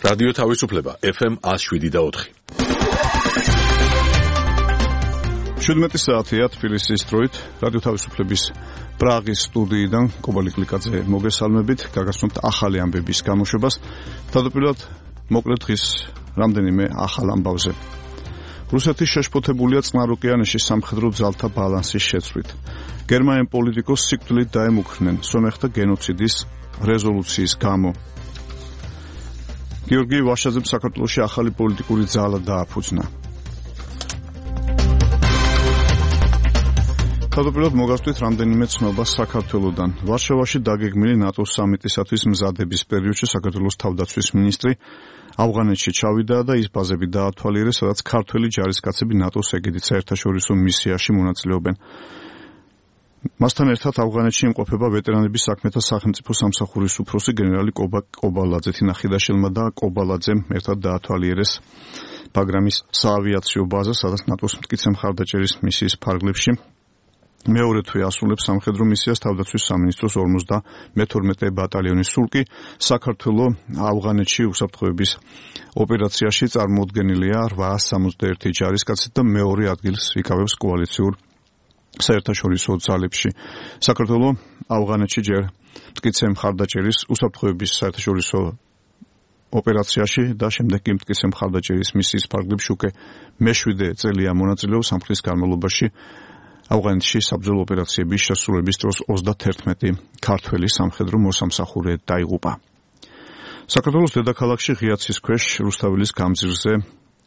რადიო თავისუფლება FM 107.4. 17 საათია თბილისის დროით რადიო თავისუფლების პრაღის სტუდიიდან კობალი კლიკაძე მოგესალმებით. გაგაცნობთ ახალი ამბების გამოშვებას. თავდაპირველად მოკლედ დღის რამდენიმე ახალ ამბავზე. რუსეთი შეშფოთებულია წყნარ ოკეანეში სამხედრო ძალთა ბალანსის შეცვლით. გერმანელ პოლიტიკოსს სიკვდილით დაემუქრნენ სომეხთა გენოციდის რეზოლუციის გამო. გიორგი ვაშაძემ საქართველოში ახალი პოლიტიკური ძალა დააფუძნა. თავდაპირველად მოგასწრით რამდენიმე ცნობა საქართველოდან. ვარშავაში დაგეგმილი ნატოს სამიტისათვის მზადების პერიოდში საქართველოს თავდაცვის მინისტრი ავღანეთში ჩავიდა და ის ბაზები დაათვალიერეს, სადაც ქართველი ჯარისკაცები ნატოს ეგიდით საერთაშორისო მისიაში მონაწილეობენ. მასთან ერთად ავღანეთში იმყოფება ვეტერანების საქმეთა სახელმწიფო სამსახურის უფროსი გენერალი კობალაძე. თინახიდაშელმა და კობალაძემ ერთად დაათვალიერეს ბაგრამის საავიაციო ბაზა, სადაც ნატოს მტკიცე მხარდაჭერის მისიის ფარგლებში მეორე თვე ასრულებს სამხედრო მისიას თავდაცვის სამინისტროს 52 ბატალიონის სულკი. საქართველო ავღანეთში უსაფრთხოების ოპერაციაში წარმოუდგენელია 861 ჯარისკაცით და მეორე ადგილს იკავებს კოალიციურ საერთაშორისო ძალებში. საქართველო ავღანეთში ჯერ მტკიცე მხარდაჭერის უსაფრთხოების საერთაშორისო ოპერაციაში და შემდეგ კი მტკიცე მხარდაჭერის მისიის ფარგლებში უკვე მე-7 წელია მონაწილეობს. ამ ხნის განმავლობაში ავღანეთში საბრძოლო ოპერაციების შესრულების დროს 31 ქართველი სამხედრო მოსამსახურე დაიღუპა. საქართველოს დედაქალაქში ღიაცის ქვეშ რუსთაველის გამზირზე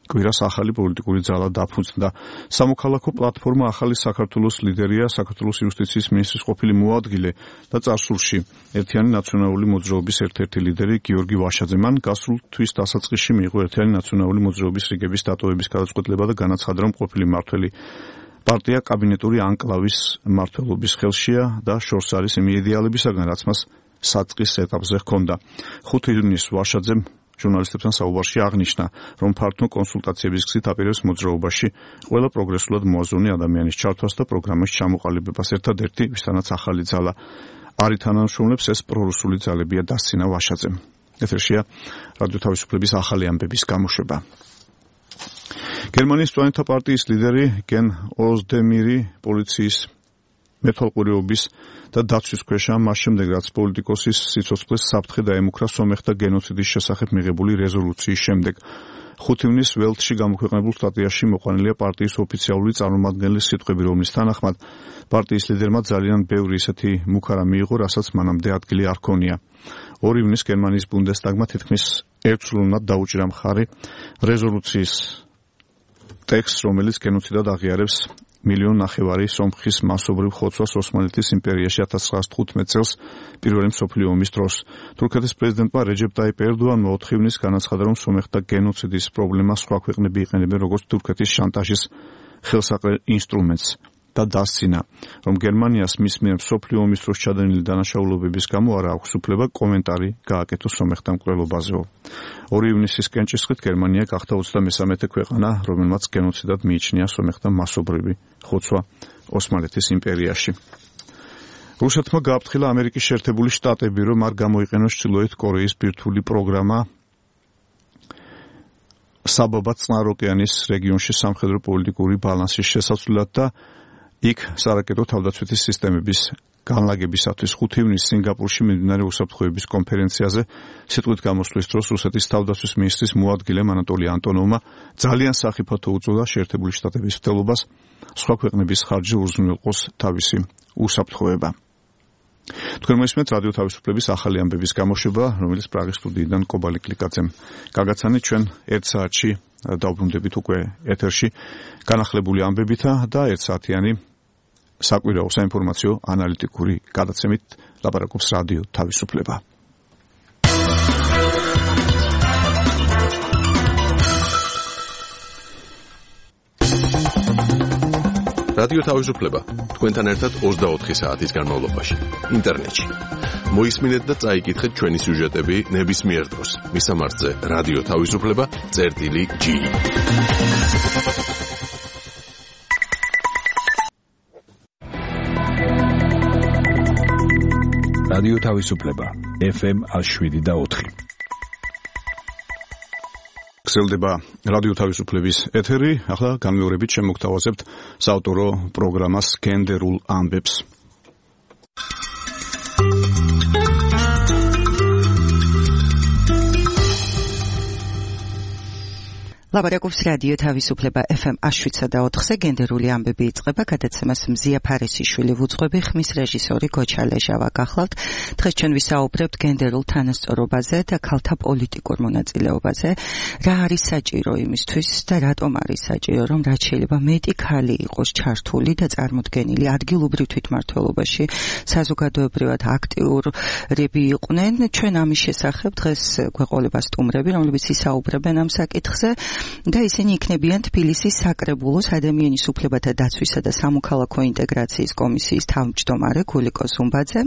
კვირას ახალი პოლიტიკური ძალა დაფუძნდა. სამოქალაქო პლატფორმა ახალი საქართველოს ლიდერია საქართველოს იუსტიციის მინისტრის ყოფილი მოადგილე და წარსულში ერთიანი ნაციონალური მოძრაობის ერთ-ერთი ლიდერი გიორგი ვაშაძე. მან გასულ თვის დასაწყისში მიიღო ერთიანი ნაციონალური მოძრაობის რიგების დატოვების გადაწყვეტილება და განაცხადა, რომ ყოფილი მმართველი პარტია კაბინეტური ანკლავის მმართველობის ხელშია და შორს არის იმ იდეალებისაგან, რაც მას საწყის ეტაპზე ჰქონდა. 5 ივნისს ვაშაძემ ჟურნალისტებთან საუბარში აღნიშნა, რომ ფართო კონსულტაციების გზით აპირებს მოძრაობაში ყველა პროგრესულად მოაზროვნე ადამიანის ჩართვას და პროგრამის ჩამოყალიბებას. ერთადერთი, ვისთანაც ახალი ძალა არ ითანამშრომლებს, ეს პრორუსული ძალებია, დასცინა ვაშაძემ. ეთერშია რადიო თავისუფლების ახალი ამბების გამოშვება. გერმანიის პლანეტა პარტიის ლიდერი გენ ოზდემირი პოლიციის მეთვალყურეობის და დაცვის ქვეშა მას შემდეგ, რაც პოლიტიკოსის სიცოცხლეს საფრთხე დაემუქრა სომეხთა გენოციდის შესახებ მიღებული რეზოლუციის შემდეგ. 5 ივნისს ველტში გამოქვეყნებულ სტატიაში მოყვანილია პარტიის ოფიციალური წარმომადგენლის სიტყვები, რომლის თანახმად პარტიის ლიდერმა ძალიან ბევრი ისეთი მუქარა მიიღო, რასაც მანამდე ადგილი არ ჰქონია. 2 ივნისს გერმანიის ბუნდესტაგმა თითქმის ერთსრულოვნად დაუჭირა მხარი რეზოლუციის ტექსტს, რომელიც გენოციდად აღიარებს 1,5 მილიონი სომხის მასობრივ ხოცვას ოსმალეთის იმპერიაში 1915 წელს პირველი მსოფლიო ომის დროს. თურქეთის პრეზიდენტმა რეჯეპ ტაიპ ერდოანმა 4 ივნისს განაცხადა, რომ სომეხთა გენოციდის პრობლემას სხვა ქვეყნები იყენებენ როგორც თურქეთის შანტაჟის ხელსაყრელ ინსტრუმენტს და დასცინა, რომ გერმანიას მის მიერ მსოფლიო ომის დროს ჩადენილი დანაშაულობების გამო არ აქვს უფლება კომენტარი გააკეთოს სომეხთა მკვლელობაზეო. 2 ივნისის კენჭისყრით გერმანია გახდა 33 ქვეყანა, რომელმაც გენოციდად მიიჩნია სომეხთა მასობრივი ხოცვა ოსმალეთის იმპერიაში. რუსეთმა გააფრთხილა ამერიკის შეერთებული შტატები, რომ არ გამოიყენოს ჩრდილოეთ კორეის ბირთვული პროგრამა საბაბად წყნარ ოკეანის რეგიონში სამხედრო პოლიტიკური ბალანსის შესაცვლელად და იქ სარაკეტო თავდაცვითი სისტემების განლაგებისათვის. 5 ივნისს სინგაპურში მიმდინარე უსაფრთხოების კონფერენციაზე სიტყვით გამოსვლის დროს რუსეთის თავდაცვის მინისტრის მოადგილემ ანატოლი ანტონოვმა ძალიან სახიფათო უწოდა შეერთებული შტატების მცდელობას სხვა ქვეყნების ხარჯზე უზრუნველყოს თავისი უსაფრთხოება. თქვენ მოისმენთ რადიო თავისუფლების ახალი ამბების გამოშვება, რომელიც პრაღის სტუდიიდან კობალი კლიკაძემ გაგაცანით. ჩვენ 1 საათში დავბრუნდებით უკვე ეთერში განახლებული ამბებითა და 1 საათიანი საკვირაო საინფორმაციო ანალიტიკური გადაცემით ლაპარაკობს რადიო თავისუფლება. რადიო თავისუფლება თქვენთან ერთად 24 საათის განმავლობაში ინტერნეტში. მოისმინეთ და წაიკითხეთ ჩვენი სიუჟეტები ნებისმიერ დროს. მისამართზე რადიო თავისუფლება.g. რადიო თავისუფლება FM 107.4. გრძელდება რადიო თავისუფლების ეთერი. ახლა განმეორებით შემოგთავაზებთ საავტორო პროგრამას გენდერულ ამბებს. ლაპარაკობს რადიო თავისუფლება FM 107.4-ზე გენდერული ამბები იწყება. გადაცემას მზია ფარესიშვილი ვუძღვები, ხმის რეჟისორი გოჩა ლეჟავა გახლავთ. დღეს ჩვენ ვისაუბრებთ გენდერულ თანასწორობაზე და ქალთა პოლიტიკურ მონაწილეობაზე. რა არის საჭირო იმისთვის და რატომ არის საჭირო, რომ რაც შეიძლება მეტი ქალი იყოს ჩართული და წარმოდგენილი ადგილობრივ თვითმმართველობაში, საზოგადოებრივად აქტიურები იყვნენ. ჩვენ ამის შესახებ დღეს გვეყოლება სტუმრები, რომლებიც ისაუბრებენ ამ საკითხზე. და ისინი იქნებიან თბილისის საკრებულოს ადამიანის უფლებათა დაცვისა და სამოქალაქო ინტეგრაციის კომისიის თავმჯდომარე გულიკო ზუმბაძე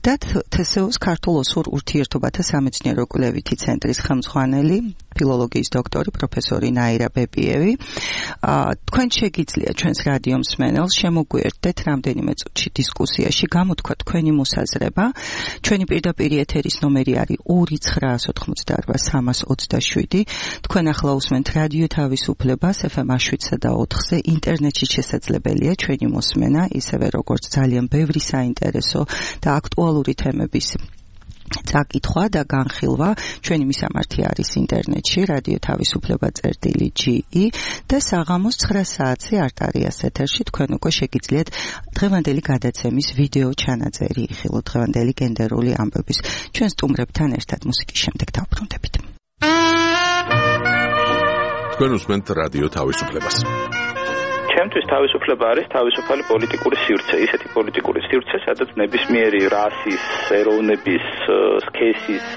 და თსეოს ქართულ ოსურ ურთიერთობათა სამეცნიერო კვლევითი ცენტრის ხელმძღვანელი ფილოლოგიის დოქტორი პროფესორი ნაირა ბებიევი. თქვენ შეგიძლია ჩვენს რადიო მსმენელს შემოგვიერთდეთ რამდენიმე წუთში დისკუსიაში, გამოთქვათ თქვენი მოსაზრება. ჩვენი პირდაპირ ეთერის ნომერი არის 2988327. თქვენ ახლა უსმენთ რადიო თავისუფლებას FM 107.4-ზე. ინტერნეტში შესაძლებელია ჩვენი მოსმენა, ისევე როგორც ძალიან ბევრი საინტერესო და აქტუალური თემების წაკითხვა და განხილვა. ჩვენი მისამართი არის ინტერნეტში რადიო თავისუფლება.ge და საღამოს 9 საათზე არტარიას ეთერში თქვენ უკვე შეგიძლიათ დღევანდელი გადაცემის ვიდეო ჩანაწერი იხილოთ, დღევანდელი გენდერული ამბების. ჩვენ სტუმრებთან ერთად მუსიკის შემდეგ დავბრუნდებით. თქვენ უსმენთ რადიო თავისუფლებას. ჩემთვის თავისუფლება არის თავისუფალი პოლიტიკური სივრცე, ისეთი პოლიტიკური სივრცე, სადაც ნებისმიერი რასის, ეროვნების, სქესის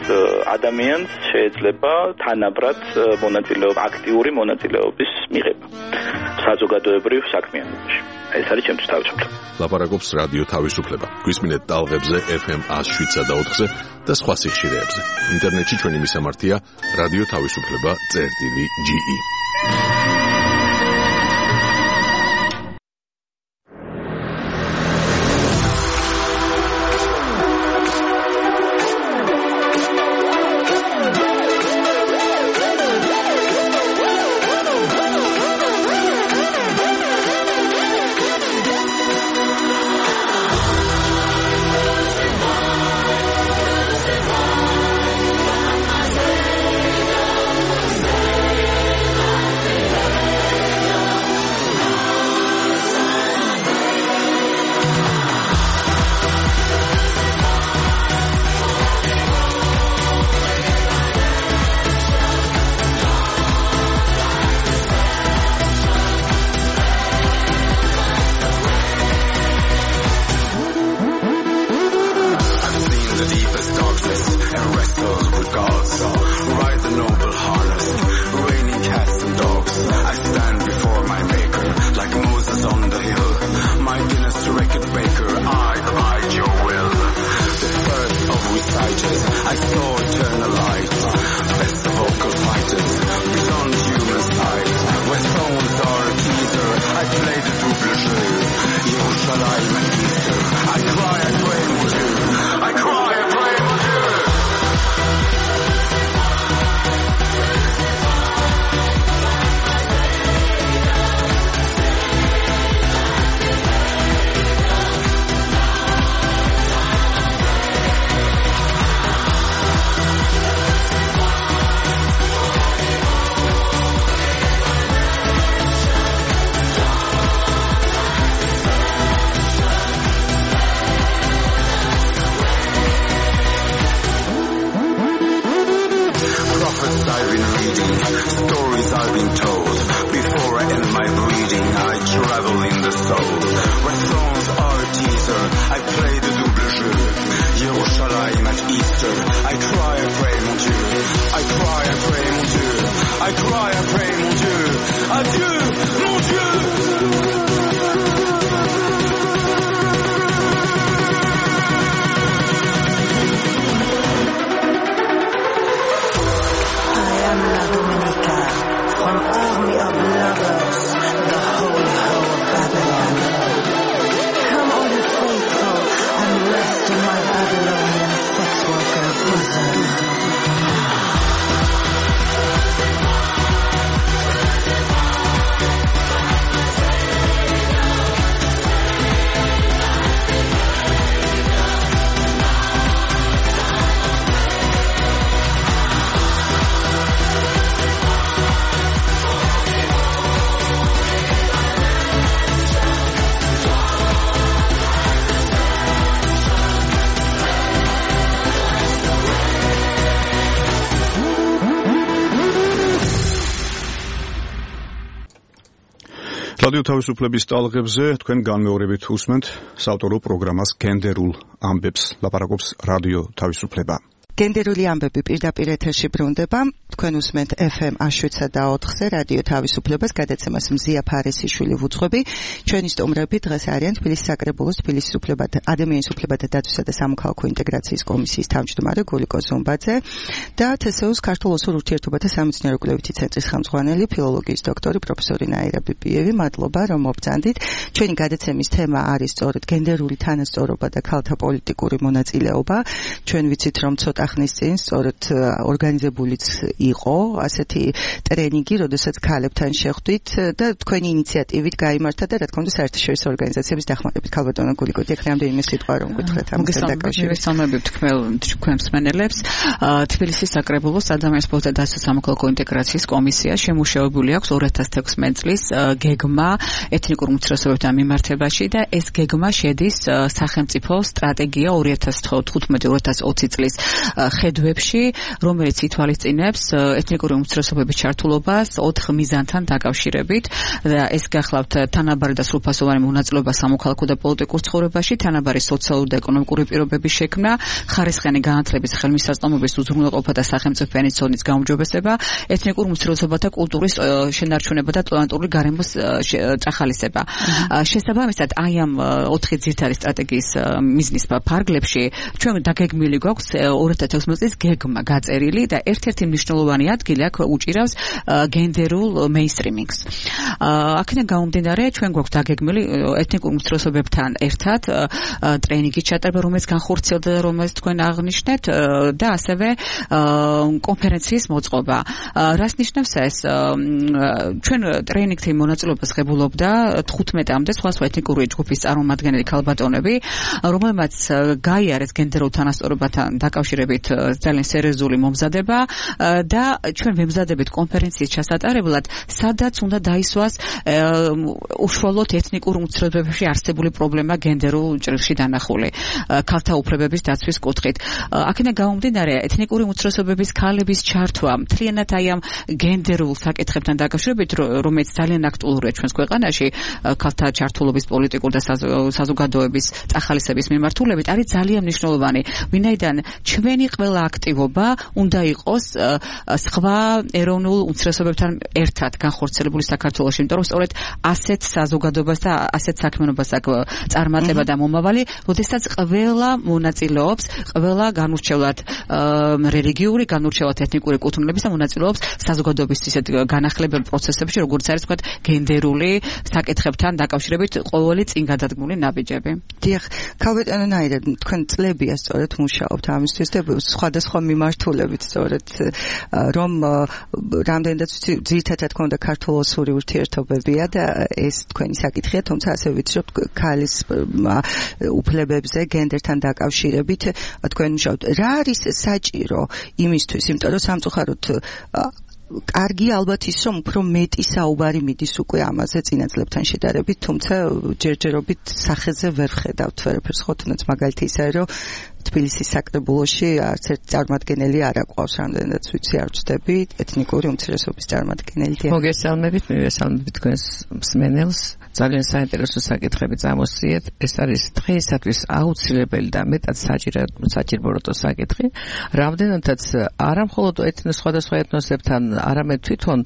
ადამიანს შეიძლება თანაბრად აქტიური მონაწილეობის მიღება საზოგადოებრივ საქმიანობაში. ეს არის ჩემთვის თავისუფლება. ლაპარაკობს რადიო თავისუფლება. გვისმინეთ ტალღებზე FM 107.4-ზე და სხვა სიხშირეებზე. ინტერნეტში ჩვენი მისამართია რადიო თავისუფლება.ge. რადიო თავისუფლების ტალღებზე თქვენ განმეორებით უსმენთ საავტორო პროგრამას გენდერულ ამბებს. ლაპარაკობს რადიო თავისუფლება. გენდერული ამბები პირდაპირ ეთერში ბრუნდება. თქვენ უსმენთ FM 107.4-ზე რადიო თავისუფლებას, გადაცემას მზია ფარესიშვილი ვუძღვები. ჩვენი სტუმრები დღეს არიან თბილისის საკრებულოს თბილისის ადამიანის უფლებათა დაცვისა და სამოქალაქო ინტეგრაციის კომისიის თავმჯდომარე გულიკო ზუმბაძე და თსეუს ქართულ ოსურ ურთიერთობათა სამეცნიერო კვლევითი ცენტრის ხელმძღვანელი ფილოლოგიის დოქტორი პროფესორი ნაირა ბიბიევი. მადლობა რომ მობრძანდით. ჩვენი გადაცემის თემა არის სწორედ გენდერული თანასწორობა და ქალთა პოლიტიკური მონაწილეობა. ჩვენ ვიცით რომ ცოტა ხნის წინ სწორედ ორგანიზებულიც იყო ასეთი ტრენინგი, როდესაც ქალებთან შეხვდით და თქვენი ინიციატივით გაიმართა და რა თქმა უნდა საერთაშორისო ორგანიზაციების დახმარებით. ქალბატონო გულიკო, ეხლა რამდენიმე სიტყვა რომ გითხრათ ამასთან დაკავშირებით. მოგესალმებით თქვენ მსმენელებს. თბილისის საკრებულოს ადამიანის უფლებათა დაცვის სამოქალაქო ინტეგრაციის კომისია შემუშავებული აქვს 2016 წლის გეგმა ეთნიკურ უმცირესობებთან მიმართებაში და ეს გეგმა შედის სახელმწიფო სტრატეგია 2015-2020 წლის ხედვებში, რომელიც ითვალისწინებს ეთნიკური უმცირესობების ჩართულობას 4 მიზანთან დაკავშირებით და ეს გახლავთ თანაბარი და სრულფასოვანი მონაწილეობა სამოქალაქო და პოლიტიკურ ცხოვრებაში, თანაბარი სოციალური და ეკონომიკური პირობების შექმნა, ხარისხიანი განათლების, ხელმისაწვდომობის, უზრუნველყოფა და სახელმწიფოების ზონის გაუმჯობესება, ეთნიკურ უმცირესობათა კულტურის შენარჩუნება და ტოლერანტული გარემოს წახალისება. შესაბამისად, აი ამ 4 ძირითადი სტრატეგიის მიზნის ფარგლებში ჩვენ დაგეგმილი გვაქვს 2016 წლის გეგმა გაწერილი და ერთ-ერთი მნიშვნელოვანი ადგილი აქ უჭირავს გენდერულ მეინსტრიმინგს. აქედან გამომდინარე, ჩვენ გვაქვს დაგეგმილი ეთნიკურ უმცირესობებთან ერთად ტრენინგის ჩატარება, რომელიც განხორციელდა და რომელიც თქვენ აღნიშნეთ და ასევე კონფერენციის მოწყობა. რას ნიშნავს ეს? ჩვენ ტრენინგთან მონაწილეობას ღებულობდა 15-მდე სხვადასხვა ეთნიკური ჯგუფის წარმომადგენელი ქალბატონები, რომელმაც გაიარეს გენდერულ თანასწორობათან დაკავშირებით ძალიან სერიოზული მომზადება და ჩვენ ვემზადებით კონფერენციის ჩასატარებლად, სადაც უნდა დაისვას უშუალოდ ეთნიკურ უმცირესობებში არსებული პრობლემა გენდერულ ჭრილში დანახული ქალთა უფლებების დაცვის კუთხით. აქედან გამომდინარე, ეთნიკური უმცირესობების ქალების ჩართვა მთლიანად აი ამ გენდერულ საკითხებთან დაკავშირებით, რომელიც ძალიან აქტუალურია ჩვენს ქვეყანაში, ქალთა ჩართულობის პოლიტიკურ და საზოგადოების წახალისების მიმართულებით, არის ძალიან მნიშვნელოვანი. ვინაიდან ჩვენი ყველა აქტივობა უნდა იყოს სხვა ეროვნულ უმცირესობებთან ერთად განხორციელებული საქართველოში, იმიტომ რომ სწორედ ასეთ საზოგადოებას და ასეთ საქმიანობას აქვს წარმატება და მომავალი, როდესაც ყველა მონაწილეობს, ყველა განურჩევლად რელიგიური, განურჩევლად ეთნიკური კუთვნილების და მონაწილეობს საზოგადოების ისეთ განახლებელ პროცესებში, როგორც არის თქვა გენდერული საკითხებთან დაკავშირებით ყოველი წინგადადგმული ნაბიჯები. დიახ, ქალბატონო ნაირა, თქვენ წლებია სწორედ მუშაობთ ამისთვის და სხვადასხვა მიმართულებით სწორედ რომ რამდენადაც ძირითადად თქვა და ქართულ-ოსური ურთიერთობებია და ეს თქვენი საკითხია, თუმცა ასევე ვიცი რომ ქალის უფლებებზე გენდერთან დაკავშირებით თქვენ მუშაობთ. რა არის საჭირო იმისთვის, იმიტომ რომ სამწუხაროდ კარგი ალბათ ის რომ უფრო მეტი საუბარი მიდის უკვე ამაზე წინა წლებთან შედარებით, თუმცა ჯერჯერობით სახეზე ვერ ხედავთ ვერაფერს, ხო თუნდაც მაგალითი ისაა რომ თბილისის საკრებულოში არც ერთი წარმომადგენელი არ აყვავს, რამდენადაც ვიცი არ ვწდები ეთნიკური უმცირესობის წარმომადგენელი. მოგესალმებით, მივესალმებით თქვენს მსმენელს. ძალიან საინტერესო საკითხები წამოსწიეთ. ეს არის დღეისათვის აუცილებელი და მეტად საჭირო საკითხი. რამდენადაც არა მხოლოდ სხვადასხვა ეთნოსებთან, არამედ თვითონ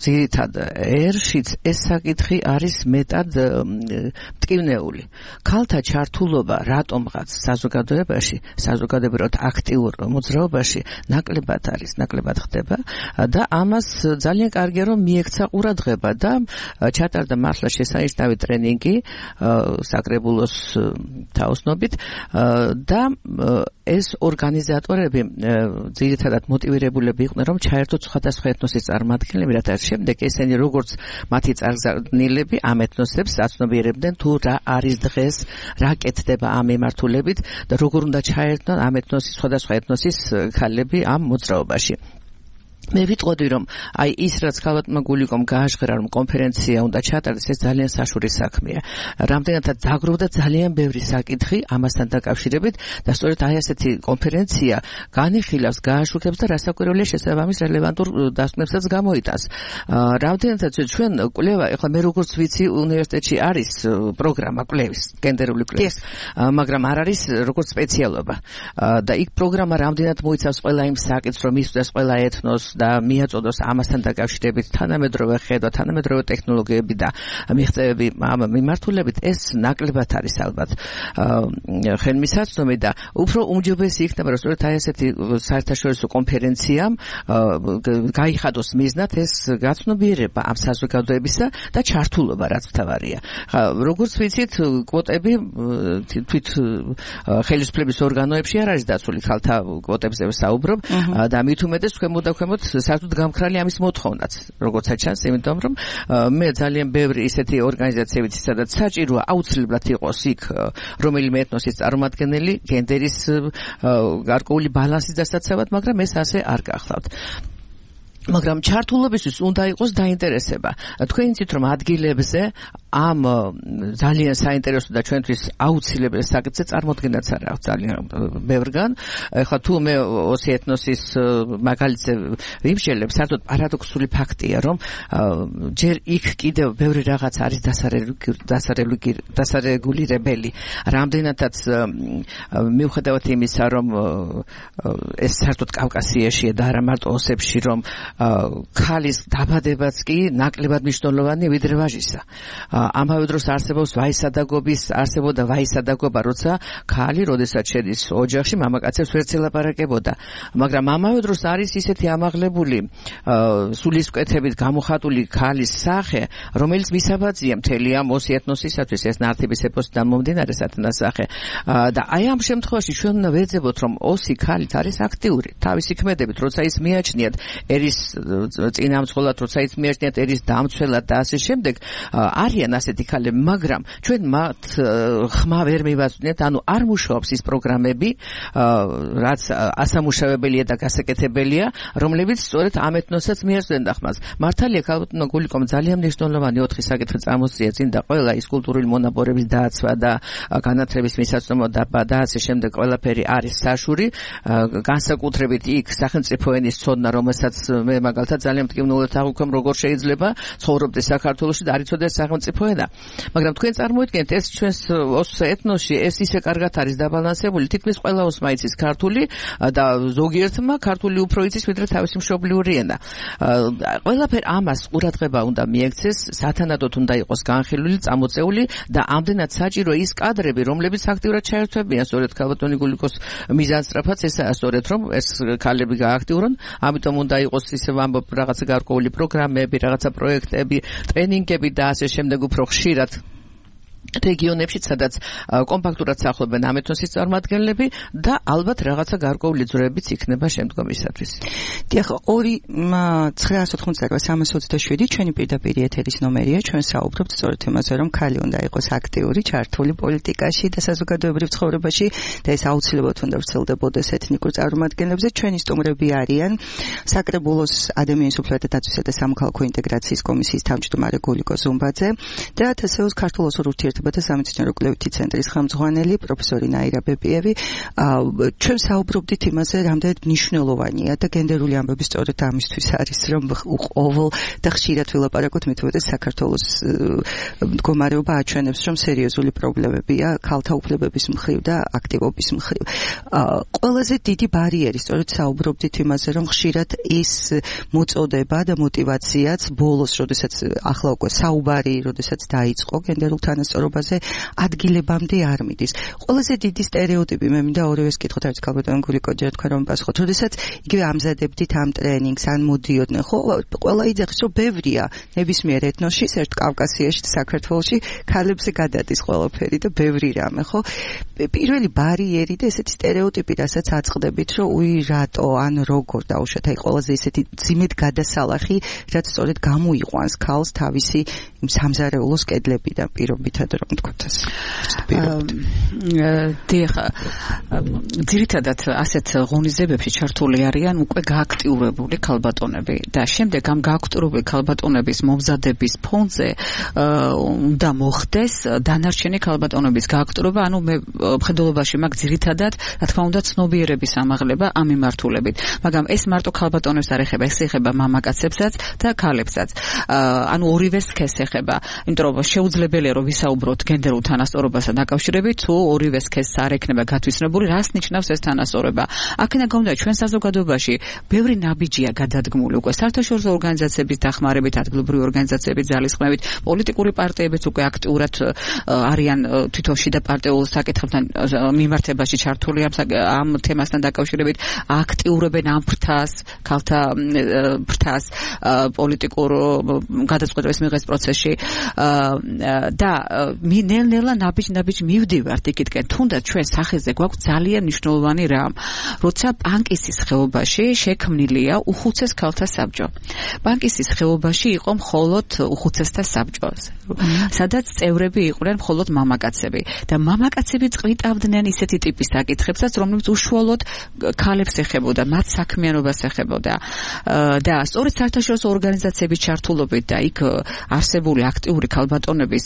ძირითად ერშიც ეს საკითხი არის მეტად მტკივნეული. ქალთა ჩართულობა რატომღაც საზოგადოებაში, საზოგადოებრივად აქტიურ მოძრაობაში ნაკლებად არის, ნაკლებად ხდება და ამას ძალიან კარგია რომ მიექცა ყურადღება და ჩატარდა მართლა შესანიშნავი ტრენინგი საკრებულოს თაოსნობით და ეს ორგანიზატორები ძირითადად მოტივირებულები იყვნენ რომ ჩაერთოთ სხვადასხვა ეთნოსის წარმომადგენლები, რათა შემდეგ ესენი როგორც მათი წარგზავნილები ამ ეთნოსებს აცნობიერებდნენ თუ რა არის დღეს, რა კეთდება ამ მიმართულებით და როგორ უნდა ჩაერთონ ამ ეთნოსის სხვადასხვა ეთნოსის ქალები ამ მოძრაობაში. მე ვიტყოდი რომ აი ის რაც ქალბატონმა გულიკომ გააჟღერა რომ კონფერენცია უნდა ჩატარდეს ეს ძალიან საშუალო საქმეა. რამდენადაც დაგროვდა ძალიან ბევრი საკითხი ამასთან დაკავშირებით და სწორედ აი ასეთი კონფერენცია განიხილავს, გააშუქებს და რასაკვირველია შესაბამის რელევანტურ დასკვნებსაც გამოიტანს. რამდენადაც ჩვენ კვლევა, ეხლა მე როგორც ვიცი უნივერსიტეტში არის პროგრამა კვლევის, გენდერული კვლევის, მაგრამ არ არის როგორც სპეციალობა. და იქ პროგრამა რამდენად მოიცავს ყველა იმ საკითხს, რომ მისვდეს ყველა ეთნოს და მიაწოდოს ამასთან დაკავშირებით თანამედროვე ხედვა, თანამედროვე ტექნოლოგიები და მიღწევები ამ მიმართულებით ეს ნაკლებად არის ალბათ ხელმისაწვდომი და უფრო უმჯობესი იქნება რომ სწორედ აი ესეთი საერთაშორისო კონფერენციამ გაიხადოს მიზნად ეს გაცნობიერება ამ საზოგადოებისა და ჩართულობა რაც მთავარია. როგორც ვიცით, კვოტები თვით ხელისუფლების ორგანოებში არ არის დაცული, ხალთა კვოტებზე ვსაუბრობ და მით უმეტეს ქვემოთ საერთოდ გამქრალი ამის მოთხოვნაც, როგორც ჩანს, იმიტომ რომ მე ძალიან ბევრი ისეთი ორგანიზაცია ვიცი, სადაც საჭიროა აუცილებლად იყოს იქ რომელიმე ეთნოსის წარმომადგენელი გენდერის გარკვეული ბალანსის დასაცავად, მაგრამ ეს ასე არ გახლავთ. მაგრამ ჩართულობისთვის უნდა იყოს დაინტერესება. თქვენ იცით რომ ადგილებზე ამ ძალიან საინტერესო და ჩვენთვის აუცილებელი საკითხზე წარმოქმნაც არ აქვს ძალიან ბევრგან. ეხლა თუ მე ოსი ეთნოსის მაგალითზე ვიმშელებ, საერთოდ პარადოქსული ფაქტია, რომ ჯერ იქ კიდევ ბევრი რაღაც არის დასარეგულირებელი. რამდენადაც მიუხედავად იმისა, რომ ეს საერთოდ კავკასიაშია და არა მარტო ოსებში, რომ ქალის დაბადებაც კი ნაკლებად მნიშვნელოვანია ვიდრე ვაჟისა. ამავე დროს არსებობს არსებობდა ვაისადაგობა, როცა ქალი, როდესაც შედის ოჯახში, მამაკაცებს ვერ ელაპარაკებოდა. მაგრამ ამავე დროს არის ისეთი ამაღლებული სულისკვეთებით გამოხატული ქალის სახე, რომელიც მისაბაძია მთელი ამ ოსი ეთნოსისათვის, ეს ნართების ეპოსიდან მომდინარე სათნასახე. და აი ამ შემთხვევაში ჩვენ უნდა ვეძებოთ, რომ ოსი ქალიც არის აქტიური, თავისი ქმედებით, როცა ის მიაჩნიათ ერის წინამძღოლად, როცა ის მიაჩნიათ ერის დამცველად და ასე შემდეგ, არიან ასეთი ქალები, მაგრამ ჩვენ მათ ხმა ვერ მივაწვდით, ანუ არ მუშაობს ის პროგრამები, რაც ასამუშავებელია და გასაკეთებელია, რომლებიც სწორედ ამ ეთნოსაც მიაწვდენდა ხმას. მართალია ქალბატონმა გულიკომ ძალიან მნიშვნელოვანი 4 საკითხი წამოსწია წინ და ყველა ის კულტურული მონაპოვრების დაცვა და განათლების მისაწვდომობა და ასე შემდეგ ყველაფერი არის საშური, განსაკუთრებით იქ სახელმწიფო ენის ცოდნა, რომელსაც მე მაგალითად ძალიან მტკივნეულად აღვიქვამ, როგორ შეიძლება ცხოვრობდეს საქართველოში და არ იცოდეს სახელმწიფო ენა. მაგრამ თქვენ წარმოიდგინეთ, ეს ჩვენს ეთნოსში ეს ისე კარგად არის დაბალანსებული, თითქმის ყველა ოსმა იცის ქართული და ზოგიერთმა ქართული უფრო იცის ვიდრე თავისი მშობლიური ენა. ყველაფერ ამას ყურადღება უნდა მიექცეს, სათანადოდ უნდა იყოს განხილული, წამოწეული და ამდენად საჭირო ის კადრები, რომლებიც აქტიურად ჩაერთვებიან სწორედ ქალბატონი გულიკოს მიზანსწრაფად ესაა სწორედ რომ ეს ქალები გააქტიურონ, ამიტომ უნდა იყოს ისე ვამბობ რაღაცა გარკვეული პროგრამები, რაღაცა პროექტები, ტრენინგები და ასე შემდეგ უფრო ხშირად რეგიონებში, სადაც კომპაქტურად სახლობენ ამ ეთნოსის წარმომადგენლები და ალბათ რაღაცა გარკვეული ძროებიც იქნება შემდგომისათვის. დიახ, 2-988-327 ჩვენი პირდაპირ ეთერის ნომერია, ჩვენ საუბრობთ სწორედ იმაზე, რომ ქალი უნდა იყოს აქტიური, ჩართული პოლიტიკაში და საზოგადოებრივ ცხოვრებაში და ეს აუცილებლად უნდა ვრცელდებოდეს ეთნიკურ წარმომადგენლებზე. ჩვენი სტუმრები არიან საკრებულოს ადამიანის უფლებათა დაცვისა და სამოქალაქო ინტეგრაციის კომისიის თავმჯდომარე გულიკო ზუმბაძე და თსეოს ქართულ ოსურ ურთიერთობათა სამეცნიერო კვლევითი ცენტრის ხელმძღვანელი პროფესორი ნაირა ბებიევი. ჩვენ საუბრობდით იმაზე, რამდენად მნიშვნელოვანია და გენდერული ამბები სწორედ ამისთვის არის, რომ ყოველ და ხშირად ვილაპარაკოთ, მით უმეტეს საქართველოს მდგომარეობა აჩვენებს, რომ სერიოზული პრობლემებია ქალთა უფლებების მხრივ და აქტივობის მხრივ. ყველაზე დიდი ბარიერი სწორედ საუბრობდით იმაზე, რომ ხშირად ის მოწოდება და мотиваციაც ბოლოს, როდესაც ახლა უკვე საუბარი, როდესაც დაიწყო გენდერულ თანასწორობაზე, ადგილებამდე არ მიდის. ყველაზე დიდი სტერეოტიპი, მე მინდა ორივეს კითხოთ, არის ქალბატონ გულიკო, ჯერ თქვენ რომ პასუხოთ. როდესაც იგივე ამზადებდით ამ ტრენინგს, ან მოდიოდნენ, ხო, ყველა იძახის, რომ ბევრია ნებისმიერ ეთნოსში, ერთ კავკასიაში, საქართველოში ქალებზე გადადის ყველაფერი და ბევრი რამე, ხო? პირველი ბარიერი და ესეთი სტერეოტიპი, რასაც აწყდებით, რომ უი რატო, ან როგორ დაუშვათ, აი ყველაზე ესეთი ძიმედ გადასალახი, რაც სწორედ გამოიყვანს ქალს თავისი იმ სამზარეულოს კედლებიდან პირობითად. რომ თქვათ ეს. დიახ, ძირითადად ასეთ ღონისძიებებში ჩართული არიან უკვე გააქტიურებული ქალბატონები და შემდეგ ამ გააქტიურებული ქალბატონების მომზადების ფონზე უნდა მოხდეს დანარჩენი ქალბატონების გააქტიურება, ანუ მე მხედველობაში მაგ ძირითადად, რა თქმა უნდა, ცნობიერების ამაღლება ამ მიმართულებით. მაგრამ ეს მარტო ქალბატონებს არ ეხება, ეს ეხება მამაკაცებსაც და ქალებსაც. ანუ ორივე სქესს ეხება, იმიტომ რომ შეუძლებელია რომ ვისაუბროთ გენდერულ თანასწორობასთან დაკავშირებით, თუ ორივე სქესს არ ექნება გათვისებული, რას ნიშნავს ეს თანასწორობა. აქედან გამომდინარე, ჩვენ საზოგადოებაში ბევრი ნაბიჯია გადადგმული უკვე საერთაშორისო ორგანიზაციების დახმარებით, ადგილობრივი ორგანიზაციების ძალისხმევით, პოლიტიკური პარტიებიც უკვე აქტიურად არიან თვითონ შიდა პარტიულ საკითხებთან მიმართებაში ჩართული ამ თემასთან დაკავშირებით, აქტიურებენ ამ ფრთას, ქალთა ფრთას პოლიტიკურ გადაწყვეტილების მიღების პროცესში და ნელ-ნელა ნაბიჯ მივდივართ იქითკენ, თუნდაც ჩვენ სახეზე გვაქვს ძალიან მნიშვნელოვანი რამ, როცა პანკისის ხეობაში შექმნილია უხუცეს ქალთა საბჭო. პანკისის ხეობაში იყო მხოლოდ უხუცესთა საბჭო, სადაც წევრები იყვნენ მხოლოდ მამაკაცები და მამაკაცები წყვიტავდნენ ისეთი ტიპის საკითხებსაც, რომლებიც უშუალოდ ქალებს ეხებოდა, მათ საქმიანობას ეხებოდა და სწორედ საერთაშორისო ორგანიზაციების ჩართულობით და იქ არსებული აქტიური ქალბატონების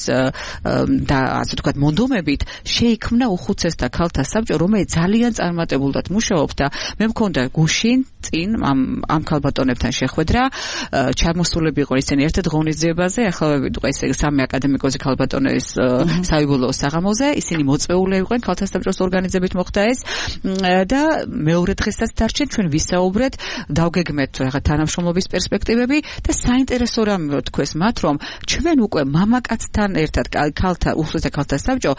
და ასე ვთქვათ მონდომებით შეიქმნა უხუცესთა ქალთა საბჭო, რომელიც ძალიან წარმატებულად მუშაობს და მე მქონდა გუშინ წინ ამ ქალბატონებთან შეხვედრა, ჩამოსულები იყო ისინი ერთად ღონისძიებაზე, ახლა ვიდუღა ესე სამი აკადემიკოსი ქალბატონების საბოლოო საღამოზე, ისინი მოწვეული იყვნენ ქალთა საბჭოს ორგანიზებით მოხდა ეს და მეორე დღესაც დარჩენ, ჩვენ ვისაუბრეთ, დავგეგმეთ რაღაც თანამშრომლობის პერსპექტივები და საინტერესო რამე ვთქვეს მათ, რომ ჩვენ უკვე მამაკაცთან ერთად ქალთა უხუცესთა ქალთა საბჭო,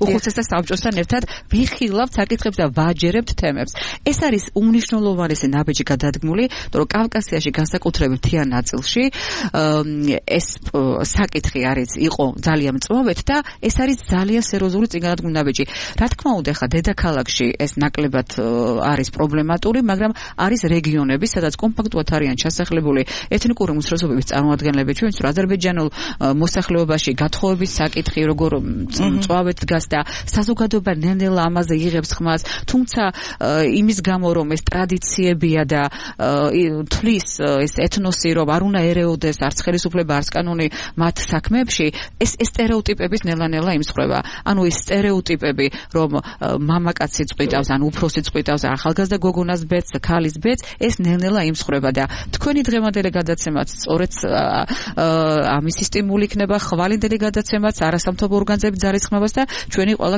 უხუცესთა საბჭოსთან ერთად ვიხილავთ საკითხებს და ვაჯერებთ თემებს. ეს არის უმნიშვნელოვანესი ნაბიჯი გადადგმული, რომ კავკასიაში განსაკუთრებით მთიან ნაწილში ეს საკითხი იყო ძალიან მწვავედ და ეს არის ძალიან სერიოზული წინგადადგმული ნაბიჯი. რა თქმა უნდა, ხა დედაქალაქში ეს ნაკლებად არის პრობლემატური, მაგრამ არის რეგიონები, სადაც კომპაქტურად არიან ჩასახლებული ეთნიკური უმცირესობების წარმომადგენლები, ჩვენ ვიცით, აზერბაიჯანულ მოსახლეობაში გათხოვების საკითხი როგორ მწვავედ დგას და საზოგადოება ნელ-ნელა ამაზე იღებს ხმას, თუმცა იმის გამო რომ ეს ტრადიციებია და თვლის ეს ეთნოსი რომ არ უნდა ერეოდეს არც ხელისუფლება არც კანონი მათ საქმეებში, ეს სტერეოტიპების ნელა-ნელა იმსხვრება. ანუ ეს სტერეოტიპები რომ მამაკაცი წყვიტავს, ან უფროსი წყვიტავს, ახალგაზრდა გოგონას ბედს, ქალის ბედს, ეს ნელ-ნელა იმსხვრება და თქვენი დღევანდელი გადაცემაც სწორედ ამისი სტიმული იქნება, ხვალინდელი გადაცემაც არასამთავრობო ორგანიზაციების ძალისხმევას და ჩვენი ყველა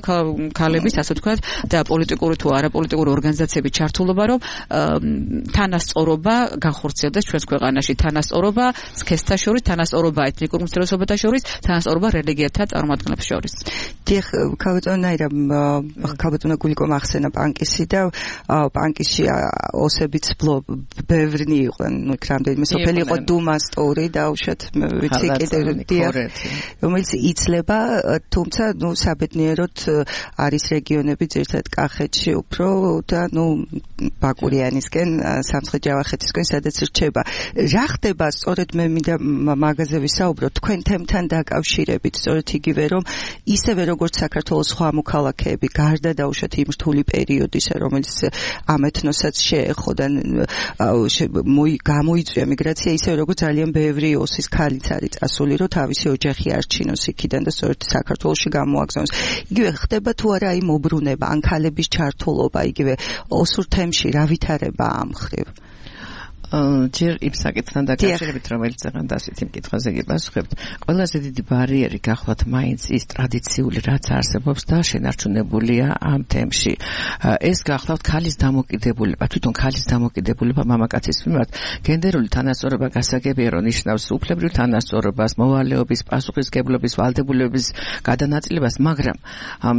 ქალების, ასე ვთქვათ, და პოლიტიკური თუ არაპოლიტიკური ორგანიზაციების ჩართულობა, რომ თანასწორობა განხორციელდეს ჩვენს ქვეყანაში, თანასწორობა სქესთა შორის, თანასწორობა ეთნიკურ უმცირესობათა შორის, თანასწორობა რელიგიათა წარმომადგენლებს შორის. დიახ, ქალბატონი გულიკომ ახსენა პანკისი და პანკისში ოსებიც ბევრნი იყვნენ, იქ რამდენიმე სოფელი იყო დუმასტური და უშოთ ვიცი კიდევ რომელიც იცლება, თუმცა საბედნიეროდ არის რეგიონები ძირითადად კახეთში უფრო და ბაკურიანისკენ, სამცხე-ჯავახეთისკენ, სადაც რჩება. რა ხდება სწორედ მე მინდა მაგაზე ვისაუბრო თქვენ თემთან დაკავშირებით, სწორედ იგივე რომ ისევე როგორც საქართველოს სხვა მოქალაქეები გარდა დაუშვათ იმ რთული პერიოდისა, რომელიც ამ ეთნოსაც შეეხო და გამოიწვია მიგრაცია, ისევე როგორც ძალიან ბევრი ოსის ქალიც არის წასული, რომ თავისი ოჯახი არჩინოს იქიდან და სწორედ საქართველოში გამოაგზავნოს. იგივე ხდება თუ არა აი მობრუნება, ან ქალების ჩართულობა, იგივე ოსურ თემში რა ვითარება ამ ხრივ? ჯერ იმ საკითხთან დაკავშირებით, რომელიც ზღან დასით იმ კითხვაზე გიპასუხებთ, ყველაზე დიდი ბარიერი გახლავთ მაინც ის ტრადიციული რაც არსებობს და შენარჩუნებულია ამ თემში. ეს გახლავთ ქალის დამოკიდებულება, თვითონ ქალის დამოკიდებულება მამაკაცის მიმართ. გენდერული თანასწორობა გასაგებია, რომ ნიშნავს უფლებრივ თანასწორობას, მოვალეობის, პასუხისმგებლობის, ვალდებულების გადანაწილებას, მაგრამ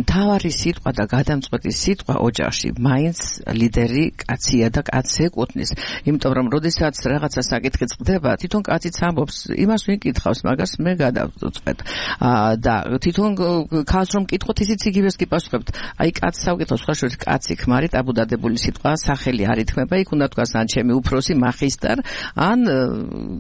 მთავარი სიტყვა და გადამწყვეტი სიტყვა ოჯახში მაინც ლიდერი კაცია და კაცს ეკუთვნის, იმიტომ რომ როდესაც რაღაცა საკითხი წყდება, თვითონ კაციც ამბობს, იმას ვინ კითხავს, მაგას მე გადავწყვეტ. და თვითონ ქალს რომ კითხოთ, ისიც იგივეს გიპასუხებთ. აი კაცს ავკითხოთ, სხვა შორის კაცი ქმარი ტაბუდადებული სიტყვა, სახელი არ ითქმება, იქ უნდა თქვას ან ჩემი უფროსი მაგისტარ, ან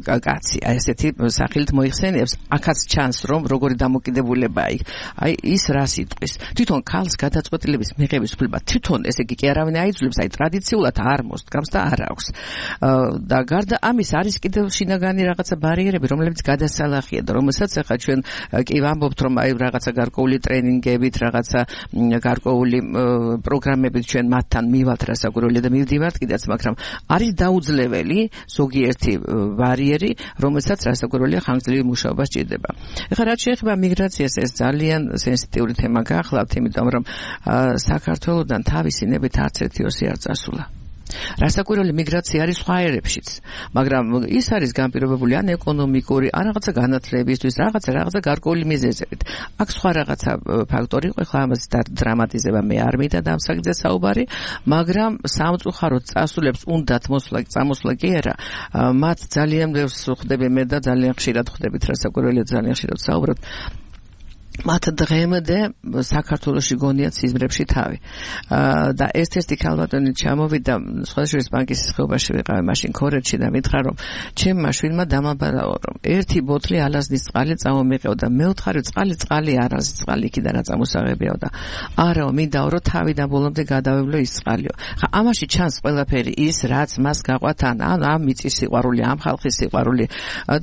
კაცი. აი ესეთი სახელით მოიხსენიებს, აქაც ჩანს რომ როგორი დამოკიდებულებაა იქ. აი ის რას იტყვის. თვითონ ქალს გადაწყვეტილების მიღების უფლება თვითონ ესე იგი კი არავინ აიძულებს, აი ტრადიციულად არ მოსდგამს და არ აქვს. და გარდა ამის არის კიდევ შინაგანი რაღაცა ბარიერები, რომლებიც გადასალახია და რომელსაც ახლა ჩვენ კი ვამბობთ, რომ აი რაღაცა გარკვეული ტრენინგებით, რაღაცა გარკვეული პროგრამებით ჩვენ მათთან მივალთ რასაკვირველია და მივდივართ კიდეც, მაგრამ არის დაუძლეველი ზოგიერთი ბარიერი, რომელსაც რასაკვირველია ხანგრძლივი მუშაობა სჭირდება. ეხლა რაც შეეხება მიგრაციას, ეს ძალიან სენსიტიური თემა გახლავთ, იმიტომ რომ საქართველოსთან თავისი ნებით არც ერთი ოსი არ წასულა. რასაკვირველი მიგრაცია არის სხვა ერებშიც, მაგრამ ის არის განპირობებული ან ეკონომიკური, ან რაღაცა განათლებისთვის, რაღაცა გარკვეული მიზეზებით. აქ სხვა რაღაცა ფაქტორი იყო, ხა ამას დრამატიზება მე არ მინდა და ამ საკითხზე საუბარი, მაგრამ სამწუხაროდ წასულებს უნდათ წამოსვლა კი არა, მათ ძალიან ბევრს ხვდები მე და ძალიან ხშირად ხვდებით, რასაკვირველია ძალიან ხშირად საუბრობთ. მათ დღემდე საქართველოში გონიათ სიზმრებში თავი. და ერთ-ერთი ქალბატონი ჩამოვიდა სხვადასხვა ბანკის ხეობაში ვიყავი მაშინ ქორეთში და მითხრა რომ ჩემმა შვილმა დამაბარაო რომ ერთი ბოთლი ალაზნის წყალი წამომიყევ და მეოთხარი წყალი არაზის წყალი იქიდან წამოსაღებიაო და არაო მინდაო რომ თავიდან ბოლომდე გადავევლო ის წყალიო. ხა ამაში ჩანს ყველაფერი ის რაც მას გაყვათ ან ამ მიწის სიყვარული, ამ ხალხის სიყვარული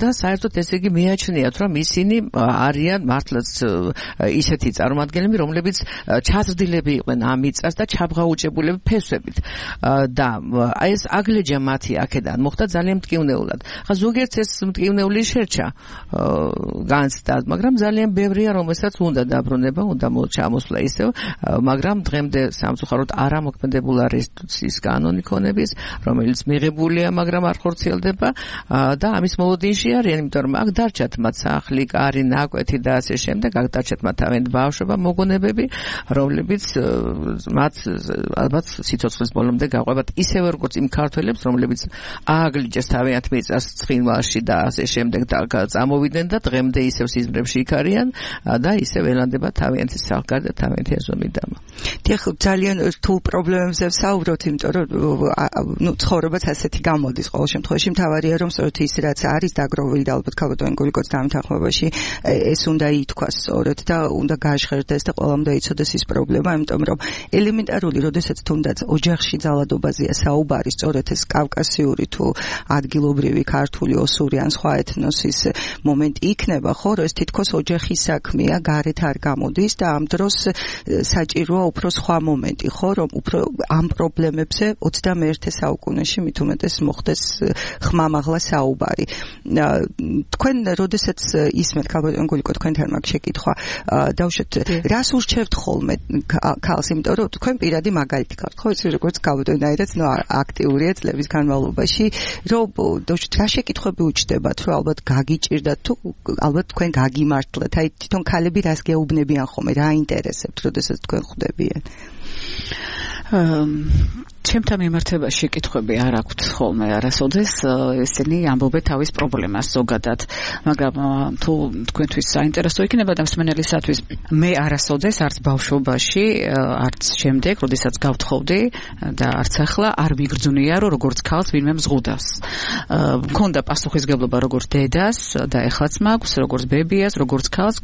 და საერთოდ ესე იგი მიაჩნიათ რომ ისინი არიან მართლაც ისეთი წარმომადგენლები, რომლებიც ჩაზრდილები იყვნენ ამ მიწას და ჩაბღაუჭებულები ფესვებით. და აი ეს აგლეჯა მათი აქედან მოხდა ძალიან მტკივნეულად. ხა ზოგიერთს ეს მტკივნეული შერჩა განცდა, მაგრამ ძალიან ბევრია, რომელსაც უნდა დაბრუნება, უნდა ჩამოსვლა ისევ, მაგრამ დღემდე სამწუხაროდ არ ამოქმედებულა რესტიტუციის კანონი ქონების, რომელიც მიღებულია, მაგრამ არ ხორციელდება და ამის მოლოდინში არიან, იმიტომ რომ აქ დარჩათ მათ სახლი, კარი, ნაკვეთი და ასე შემდეგ. დარჩათ მათ თავიანთი ბავშვობა, მოგონებები, რომლებიც მათ ალბათ სიცოცხლის ბოლომდე გაყვებათ ისევე როგორც იმ ქართველებს, რომლებიც ააგლიჯეს თავიანთ მიწას ცხინვალში და ასე შემდეგ და წამოვიდნენ და დღემდე ისევ სიზმრებში იქ არიან და ისევ ელანდება თავიანთი სახკარი და თავიანთი ეზომიდამა. დიახ, ძალიან რთულ პრობლემებზე ვსაუბრობთ, იმიტომ რომ ცხოვრებაც ასეთი გამოდის ყოველ შემთხვევაში. მთავარია რომ სწორედ ის რაც არის დაგროვილი და ალბათ ქალბატონი გულიკოც დამთანხმებაში ეს უნდა ითქვას სწორედ და უნდა გააჟღერდეს და ყველამ დაიცოდეს ის პრობლემა, იმიტომ რომ ელემენტარული, როდესაც თუნდაც ოჯახში ძალადობაზეა საუბარი, სწორედ ეს კავკასიური თუ ადგილობრივი ქართული, ოსური ან სხვა ეთნოსის მომენტი იქნება, ხო, რომ ეს თითქოს ოჯახის საქმეა, გარეთ არ გამოდის და ამ დროს საჭიროა უფრო სხვა მომენტი, ხო, რომ უფრო ამ პრობლემებზე 21 საუკუნეში მით უმეტეს მოხდეს ხმამაღლა საუბარი. თქვენ როდესაც ისმენთ ქალბატონ გულიკო თქვენთან მაგ შეკითხვა დავუშვათ, რას ურჩევთ ხოლმე ქალს, იმიტომ რომ თქვენ პირადი მაგალითი ხართ, ხო, იცი როგორც ქალბატონაირად, აქტიურია წლების განმავლობაში, რომ დავუშვათ რა შეკითხვები უჩნდებათ, რომ ალბათ გაგიჭირდათ თუ ალბათ თქვენ გაგიმართლეთ, აი თვითონ ქალები რას გეუბნებიან ხოლმე, რა ინტერესებთ, როდესაც თქვენ ხვდებიან? ჩემთან მიმართებაში კითხვები არ აქვთ ხოლმე არასოდეს, ესენი ამბობენ თავის პრობლემას ზოგადად, მაგრამ თუ თქვენთვის საინტერესო იქნება და მსმენელისათვის, მე არასოდეს არც ბავშვობაში, არც შემდეგ, როდესაც გავთხოვდი და არც ახლა არ მიგრძნია, რომ როგორც ქალს ვინმე მზღუდავს. მქონდა პასუხისგებლობა როგორც დედას და ეხლაც მაქვს, როგორც ბებიას, როგორც ქალს,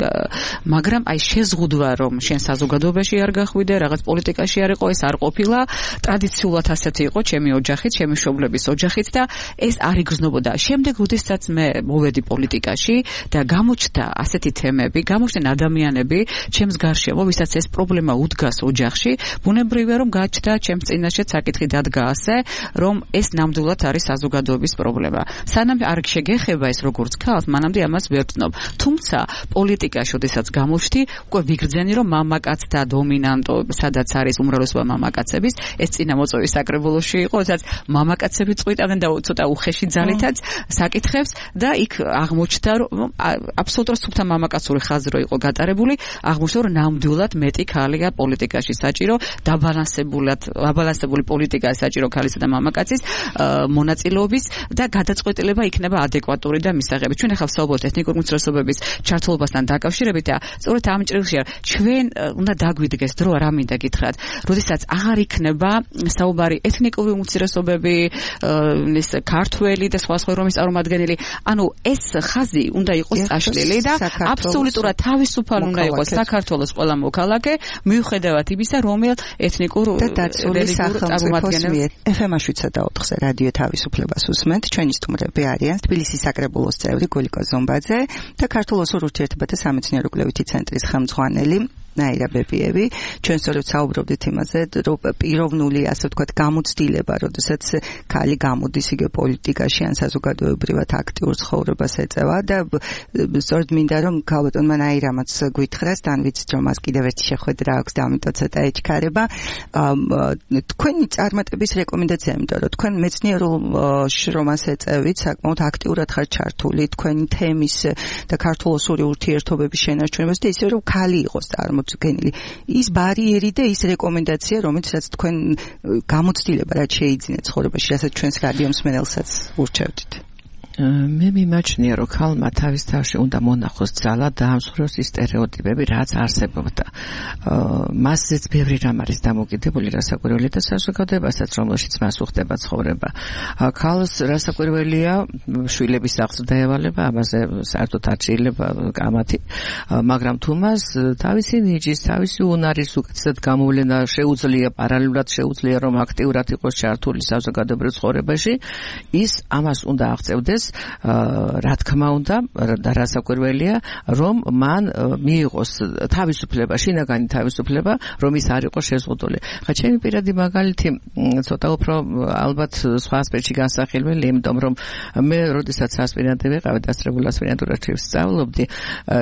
მაგრამ აი შეზღუდვა, რომ შენ საზოგადოებაში არ გახვიდე, რაღაც პოლიტიკაში არ იყო, ეს არ ყოფილა, ტრადიციულად ასეთი იყო ჩემი ოჯახით, ჩემი მშობლების ოჯახით და ეს არ იგრძნობოდა. შემდეგ როდესაც მე მოვედი პოლიტიკაში და გამოჩნდა ასეთი თემები, გამოჩნდნენ ადამიანები ჩემს გარშემო, ვისაც ეს პრობლემა უდგას ოჯახში, ბუნებრივია რომ გაჩნდა ჩემს წინაშე საკითხი დადგა ასე, რომ ეს ნამდვილად არის საზოგადოების პრობლემა. სანამ არ შეგეხება ეს როგორც ქალს, მანამდე ამას ვერ ვცნობ. თუმცა პოლიტიკაში, როდესაც გამოჩნდი, უკვე ვიგრძენი რომ მამაკაცთა დომინანტო, სადაც არის არის უმრავლესობა მამაკაცების, ეს წინამოწვევის საკრებულოში იყო, სადაც მამაკაცები წყვიტავდნენ და ცოტა უხეში ძალითაც საკითხებს და იქ აღმოჩნდა, რომ აბსოლუტურად სუფთა მამაკაცური ხაზი იყო გატარებული, აღმოჩნდა, რომ ნამდვილად მეტი ქალია პოლიტიკაში საჭირო, დაბალანსებული პოლიტიკაა საჭირო ქალისა და მამაკაცის მონაწილეობის და გადაწყვეტილება იქნება ადეკვატური და მისაღები. ჩვენ ახლა ვსაუბრობთ ეთნიკური უმცირესობების ჩართულობასთან დაკავშირებით და სწორედ ამ ჭრილში ჩვენ უნდა დაგვიდგეს დრო რა მინდა გითხრათ, როდესაც აღარ იქნება საუბარი ეთნიკური უმცირესობები, ეს ქართველი და სხვა რომის წარმომადგენელი, ანუ ეს ხაზი უნდა იყოს წაშლილი და აბსოლუტურად თავისუფალი უნდა იყოს საქართველოს ყველა მოქალაქე, მიუხედავად იმისა, რომელ ეთნიკურ და დაცული სახელმწიფოს მიერ. FM-ში 7-4-ზე რადიო თავისუფლებას უსმენთ. ჩვენი სტუმრები არიან თბილისის საკრებულოს წევრი გულიკო ზომბაძე და ქართულ ოსურ ურთიერთობათა სამეცნიერო კვლევითი ცენტრის ხელმძღვანელი ნაირა ბებიევი. ჩვენ სწორედ საუბრობდით იმაზე, რომ პიროვნული, ასე ვთქვათ, გამოცდილება, როდესაც ქალი გამოდის იგივე პოლიტიკაში ან საზოგადოებრივად აქტიურ ცხოვრებას ეწევა და სწორედ მინდა რომ ქალბატონმა ნაირამაც გვითხრას, თან ვიცით რომ მას კიდევ ერთი შეხვედრა აქვს და ამიტომ ცოტა ეჩქარება. თქვენი წარმატების რეკომენდაცია, იმიტომ რომ თქვენ მეცნიერულ შრომას ეწევით, საკმაოდ აქტიურად ხართ ჩართული თქვენი თემის და ქართულ-ოსური ურთიერთობების შენარჩუნებას და ისე რომ ქალი იყოს წარმოდგენილი. ის ბარიერი და ის რეკომენდაცია, რომელსაც თქვენ გამოცდილება რაც შეიძინეთ ცხოვრებაში, რასაც ჩვენს რადიო მსმენელსაც ურჩევდით. მე მიმაჩნია, რომ ქალმა თავის თავში უნდა მონახოს ძალა და ამსხვრევს ის სტერეოტიპები, რაც არსებობდა. მასზეც ბევრი რამ არის დამოკიდებული რასაკვირველი და საზოგადოებასაც, რომელშიც მას უხდება ცხოვრება. ქალს რასაკვირველია შვილების აღზრდა ევალება, ამაზე საერთოდ არ შეიძლება კამათი, მაგრამ თუ მას თავისი ნიჭის, თავისი უნარის უკეთესად გამოვლენა შეუძლია, პარალელურად შეუძლია, რომ აქტიურად იყოს ჩართული საზოგადოებრივ ცხოვრებაში, ის ამას უნდა აღწევდეს, რა თქმა უნდა და რასაკვირველია, რომ მან მიიღოს თავისუფლება, შინაგანი თავისუფლება, რომ ის არ იყოს შეზღუდული. ხა ჩემი პირადი მაგალითი ცოტა უფრო ალბათ სხვა ასპექტში განსახილველი, იმიტომ რომ მე როდესაც ასპირანტი ვიყავი, დასწრებულ ასპირანტურაში ვსწავლობდი,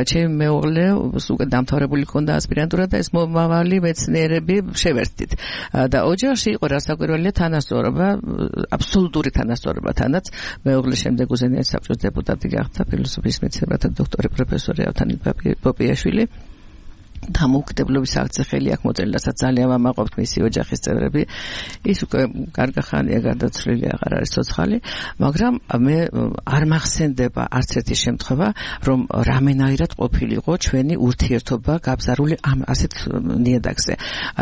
ჩემი მეუღლე უკვე დამთავრებული ჰქონდა ასპირანტურა და ეს მომავალი მეცნიერები შევერთდით. და ოჯახში იყო რასაკვირველია თანასწორობა, აბსოლუტური თანასწორობა თანაც მეუღლე შემდეგ უზენაეს საბჭოს დეპუტატი გახდა, ფილოსოფიის მეცნიერებათა დოქტორი პროფესორი ავთანი პოპიაშვილი. დამოუკიდებლობის აქცია ხელი აქ მოწერილასაც ძალიან ვამაყობთ მისი ოჯახის წევრები. ის უკვე კარგი ხანია გარდაცვლილი, აღარ არის ცოცხალი, მაგრამ მე არ მახსენდება არც ერთი შემთხვევა, რომ რამენაირად ყოფილიყო ჩვენი ურთიერთობა გაბზარული ამ ასეთ ნიადაგზე.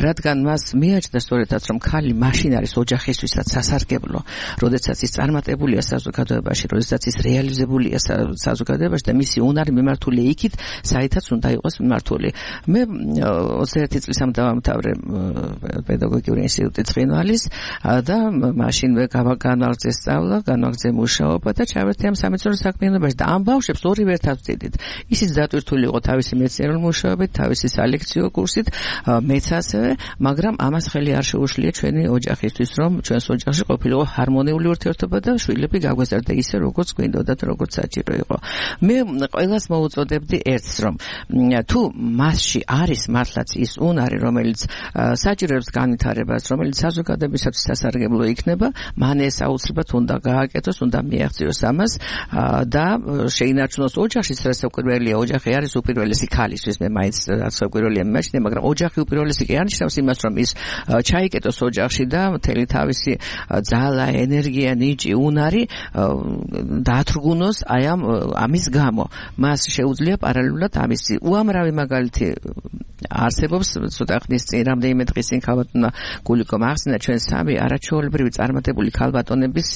რადგან მას მიაჩნდა სწორედაც, რომ ქალი მაშინ არის ოჯახისთვისაც სასარგებლო, როდესაც ის წარმატებულია საზოგადოებაში, როდესაც ის რეალიზებულია საზოგადოებაში და მისი უნარი მიმართულია იქით, საითაც უნდა იყოს მიმართული. მე 21 წლისამ დავამთავრე პედაგოგიური ინსტიტუტი ცხინვალის და მაშინ განვაგრძე სწავლა, განვაგრძე მუშაობა და ჩავერთე ამ სამეცნიერო საქმიანობაში და ამ ბავშვებს ორივე ერთად ვწიდით. ისიც დატვირთული იყო თავისი მეცნიერული მუშაობით, თავისი სალექციო კურსით, მეც ასევე, მაგრამ ამას ხელი არ შეუშლია ჩვენი ოჯახისთვის, რომ ჩვენს ოჯახში ყოფილიყო ჰარმონიული ურთიერთობა და შვილები გაგვეზარდა ისე, როგორც გვინდოდა და როგორც საჭირო იყო. მე ყველას მოუწოდებდი ერთს, რომ თუ მასში არის მართლაც ის უნარი, რომელიც საჭიროებს განვითარებას, რომელიც საზოგადოებისათვის სასარგებლო იქნება, მან ეს აუცილებლად უნდა გააკეთოს, უნდა მიაღწიოს ამას და შეინარჩუნოს ოჯახის რასაკვირველია, ოჯახი არის უპირველესი ქალისთვის, მე მაინც რასაკვირველია მიმაჩნია, მაგრამ ოჯახი უპირველესი კი არ ნიშნავს იმას, რომ ის ჩაიკეტოს ოჯახში და მთელი თავისი ძალა, ენერგია, ნიჭი, უნარი დაათრგუნოს აი ამის გამო. მას შეუძლია პარალელურად ამისი უამრავი მაგალითი არსებობს. ცოტა ხნის წინ, რამდენიმე დღის წინ ქალბატონმა გულიკომ ახსნა, ჩვენ სამი არაჩვეულებრივი წარმატებული ქალბატონების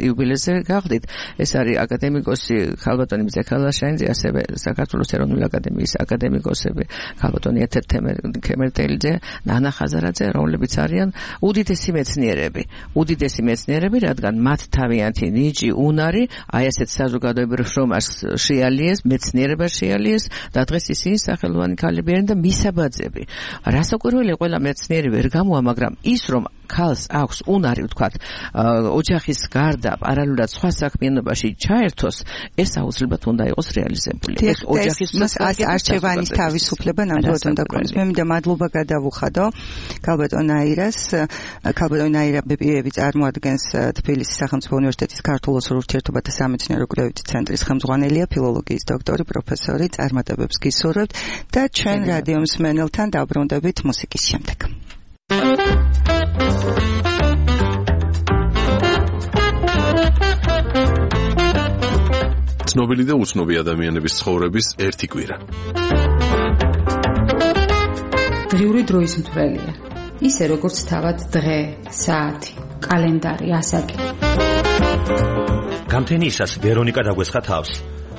იუბილეზე გავხდით. ეს არის აკადემიკოსი ქალბატონი მზე ქალაშაინძე, ასევე საქართველოს ეროვნული აკადემიის აკადემიკოსები ქალბატონი ეთერ ქემერტელიძე, ნანა ხაზარაძე, რომლებიც არიან უდიდესი მეცნიერები, რადგან მათ თავიანთი ნიჭი, უნარი, აი ასეთ საზოგადოებრივ შრომას შეალიეს, მეცნიერებას შეალიეს და დღეს ისინი სახელოვანი ქალები არიან და მისაბაძები. რასაკვირველია, ყველა მეცნიერი ვერ გამოვა, მაგრამ ის რომ ქალს აქვს უნარი ვთქვათ ოჯახის გარდა პარალელურად სხვა საქმიანობაში ჩაერთოს ეს აუცილებლად უნდა იყოს რეალიზებული ეს ოჯახის არჩევანის თავისუფლება ნამდვილად უნდა გქონდეს მე მინდა მადლობა გადავუხადო ქალბატონ აირა ბებიევი წარმოადგენს თბილისის სახელმწიფო უნივერსიტეტის ქართულ-ოსურ ურთიერთობათა სამეცნიერო კვლევითი ცენტრის ხელმძღვანელია ფილოლოგიის დოქტორი პროფესორი წარმატებებს გისურვებთ და ჩვენ რადიო მსმენელთან დაბრუნდებით მუსიკის შემდეგ ცნობილი და უცნობი ადამიანების ცხოვრების ერთი კვირა. დრიური დროის მთვრელია. ისე როგორც თავად დღე, საათი, კალენდარი, ასაკი. გამთენიისას ვერონიკა დაგვესხა თავს.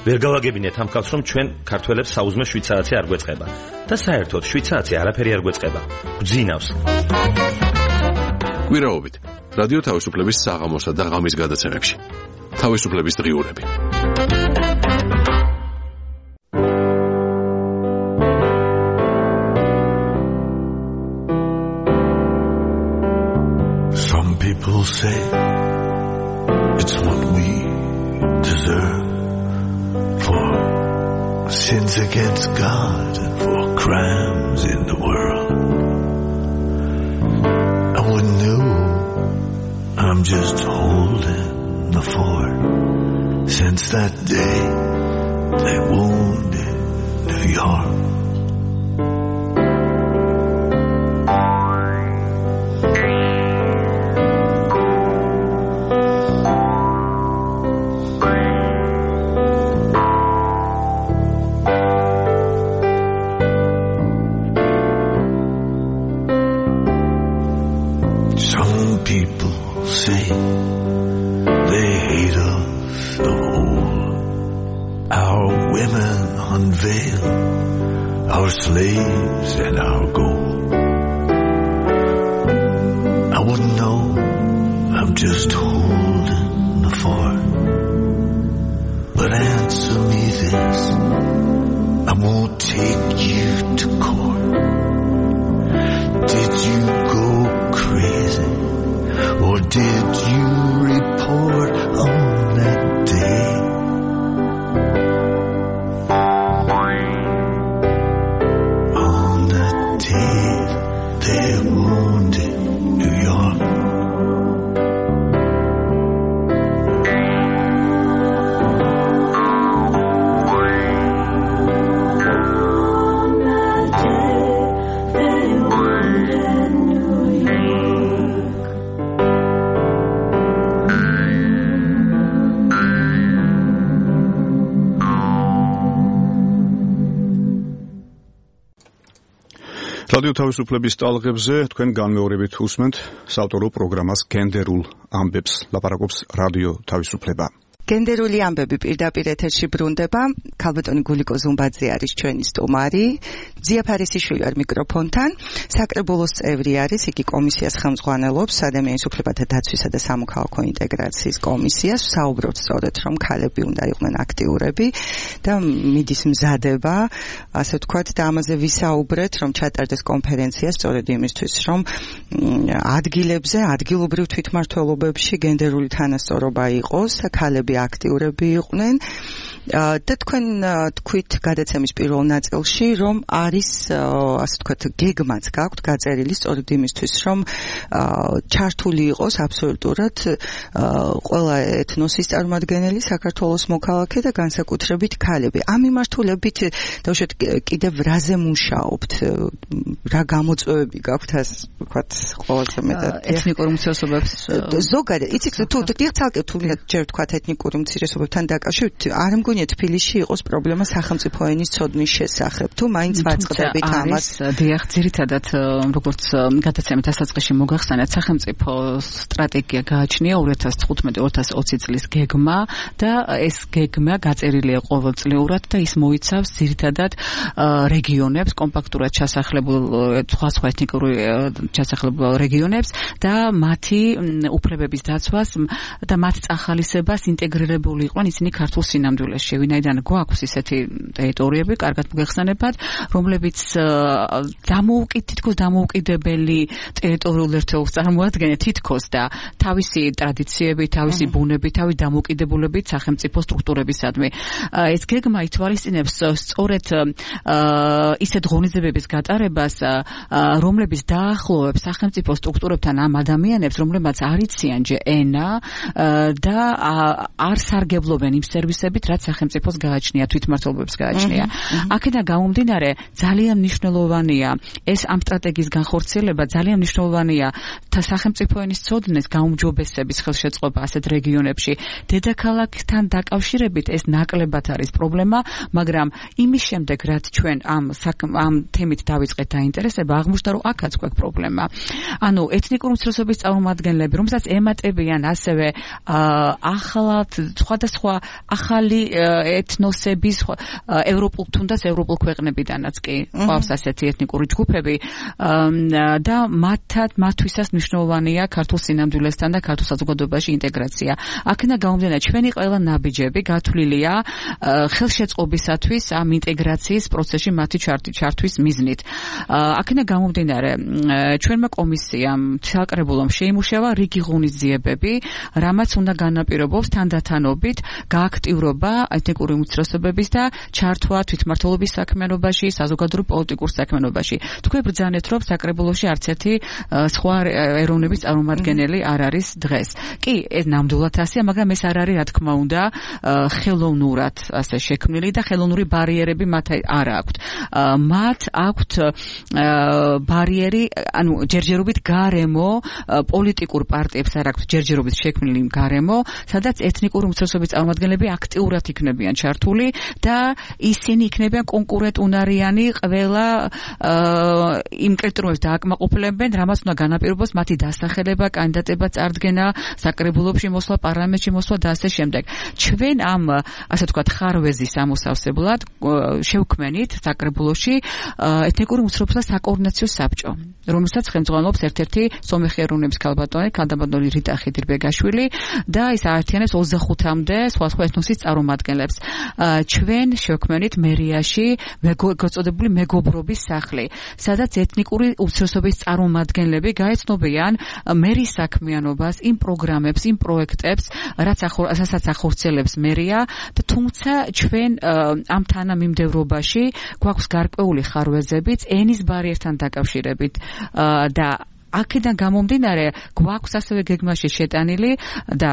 ვერ გავაგებინეთ ამ ხალხს, რომ ჩვენ ქართველებს საუზმე შვიცარაცი არ გვეწყება და საერთოდ შვიცარაცი არაფერი არ გვეწყება. გვძინავს. კვირაობით რადიო თავისუფლების საღამოსა და ღამის გადაცემებში. თავისუფლების დღიურები. Some people say it's what we deserve for sins against God and for crimes in the world. I wouldn't know, I'm just holding the fort. Since that day they wounded New York. Some people say they hate us the whole. Our women unveil our slaves and our gold. I wouldn't know, I'm just holding the fort. But answer me this, I won't take you to court. Did you go crazy? Or did you report on that day? On that day they wounded New York. რადიო თავისუფლების ტალღებზე თქვენ განმეორებით უსმენთ საავტორო პროგრამას გენდერულ ამბებს ლაპარაკობს რადიო თავისუფლება. გენდერული ამბები პირდაპირ ეთერში ბრუნდება. ქალბატონი გულიკო ზუმბაძე არის ჩვენი სტუმარი. ძია ფარისიშვილი არ მიკროფონთან. საკრებულოს წევრი არის, იგი კომისიას ხელმძღვანელობს, ადამიანის უფლებათა დაცვისა და სამოქალაქო ინტეგრაციის კომისიას. საუბრობთ სწორედ, რომ ქალები უნდა იყვნენ აქტიურები და მიდის მზადება, ასე ვთქვათ, და ამაზე ვისაუბრეთ, რომ ჩატარდეს კონფერენცია სწორედ იმისთვის, რომ ადგილებზე, ადგილობრივ თვითმმართველობებში გენდერული თანასწორობა იყოს, ქალები აქტიურები იყვნენ და თქვენ თქვით გადაცემის პირველ ნაწილში, რომ არის ასე ვთქვათ გეგმაც გაქვთ გაწერილი სწორედ იმისთვის, რომ ჩართული იყოს აბსოლუტურად ყველა ეთნოსის წარმომადგენელი საქართველოს მოქალაქე და განსაკუთრებით ქალები. ამ მიმართულებით დავუშვათ კიდევ რაზე მუშაობთ? რა გამოწვევები გაქვთ ასე ვთქვათ ყველაზე მეტად ეთნიკურ უმცირესობებს ზოგადად იცით თუ ცალკე თუ ჯერ ვთქვათ ეთნიკურ უმცირესობებთან დაკავშირებით არ მგონია თბილისში იყოს პრობლემა სახელმწიფო ენის ცოდნის შესახებ თუ მაინც ვაწყდებით ამას დიახ ძირითადად როგორც გადაცემით დასაწყისში მოგახსენეთ სახელმწიფო სტრატეგია გააჩნია 2015-2020 წლის გეგმა და ეს გეგმა გაწერილია ყოველწლიურად და ის მოიცავს ძირითადად რეგიონებს კომპაქტურად ჩასახლებულ სხვა ეთნიკური ჩასახლებულ რეგიონებს და მათი უფლებების დაცვას და მათ წახალისებას ინტეგრირებული იყვნენ ისინი ქართულ სინამდვილეში. მასში, ვინაიდან გვაქვს ისეთი ტერიტორიები, კარგად მოგეხსენებათ, რომლებიც თითქოს დამოუკიდებელი ტერიტორიულ ერთეულს წარმოადგენენ თითქოს და თავისი ტრადიციები, თავისი ბუნები, თავისი დამოუკიდებულებით სახელმწიფო სტრუქტურებისადმი. ეს გეგმა ითვალისწინებს სწორედ ისეთ ღონისძიებების გატარებას, რომლებიც დაახლოვებს სახელმწიფო სტრუქტურებთან ამ ადამიანებს, რომლებმაც არ იციან ჯერ ენა და არ სარგებლობენ იმ სერვისებით, რაც სახელმწიფოს გააჩნია, თვითმმართველობებს გააჩნია. აქედან გამომდინარე, ძალიან მნიშვნელოვანია ეს ამ სტრატეგიის განხორციელება, ძალიან მნიშვნელოვანია სახელმწიფო ენის ცოდნის გაუმჯობესების ხელშეწყობა ასეთ რეგიონებში. დედაქალაქთან დაკავშირებით ეს ნაკლებად არის პრობლემა, მაგრამ იმის შემდეგ, რაც ჩვენ ამ თემით დავიწყეთ დაინტერესება, აღმოჩნდა, რომ აქაც გვაქვს პრობლემა. ანუ ეთნიკური უმცირესობის წარმომადგენლები, რომელსაც ემატებიან ასევე ახლად სხვადასხვა ახალი ეთნოსების ევროპულ თუნდაც ევროპულ ქვეყნებიდანაც კი ყავს ასეთი ეთნიკური ჯგუფები და მათთვისაც მნიშვნელოვანია ქართულ სინამდვილესთან და ქართულ საზოგადოებაში ინტეგრაცია. აქედან გამომდინარე, ჩვენი ყველა ნაბიჯები გათვლილია ხელშეწყობისათვის ამ ინტეგრაციის პროცესში მათი ჩართვის მიზნით. აქედან გამომდინარე, ჩვენმა კომისიამ საკრებულომ შეიმუშავა რიგი ღონისძიებები, რამაც უნდა განაპირობოს თანდათანობით გააქტიურობა ეთნიკური უმცირესობების და ჩართვა თვითმმართველობის საქმიანობაში, საზოგადოებრივ პოლიტიკურ საქმიანობაში. თქვენ ბრძანეთ, რომ საკრებულოში არც ერთი სხვა ეროვნების წარმომადგენელი არ არის დღეს. კი, ეს ნამდვილად ასეა, მაგრამ ეს არ არის, რა თქმა უნდა, ხელოვნურად ასე შექმნილი და ხელოვნური ბარიერები მათ არ აქვთ. მათ აქვთ ბარიერი, ანუ ჯერჯერობით გარემო, პოლიტიკურ პარტიებს არ აქვთ ჯერჯერობით შექმნილი გარემო, სადაც ეთნიკური უმცირესობის წარმომადგენლები აქტიურად იქნებიან ჩართული და ისინი იქნებიან კონკურენტუნარიანი ყველა იმ კრიტერიუმებს დააკმაყოფილებენ, რამაც უნდა განაპირობოს მათი დასახელება, კანდიდატება, წარდგენა საკრებულოში მოსვლა, პარლამენტში მოსვლა და ასე შემდეგ. ჩვენ ამ ასე ვთქვათ ხარვეზის ამოსავსებლად შევქმნით საკრებულოში ეთნიკური უმცირესობთა საკოორდინაციო საბჭო, რომელსაც ხელმძღვანელობს ერთ-ერთი სომეხი ეროვნების ქალბატონი რიტა ხიდირბეგაშვილი და ის აერთიანებს 25-მდე სხვადასხვა ეთნოსის წარმომადგენლებს. ჩვენ შევქმნით მერიაში გაწოდებული მეგობრობის სახლი, სადაც ეთნიკური უმცირესობის წარმომადგენლები გაეცნობიან მერის საქმიანობას, იმ პროგრამებს, იმ პროექტებს, რასაც ახორციელებს მერია და თუმცა ჩვენ ამ თანამიმდევრობაში გვაქვს გარკვეული ხარვეზებიც ენის ბარიერთან დაკავშირებით და აქედან გამომდინარე, გვაქვს ასევე გეგმაში შეტანილი და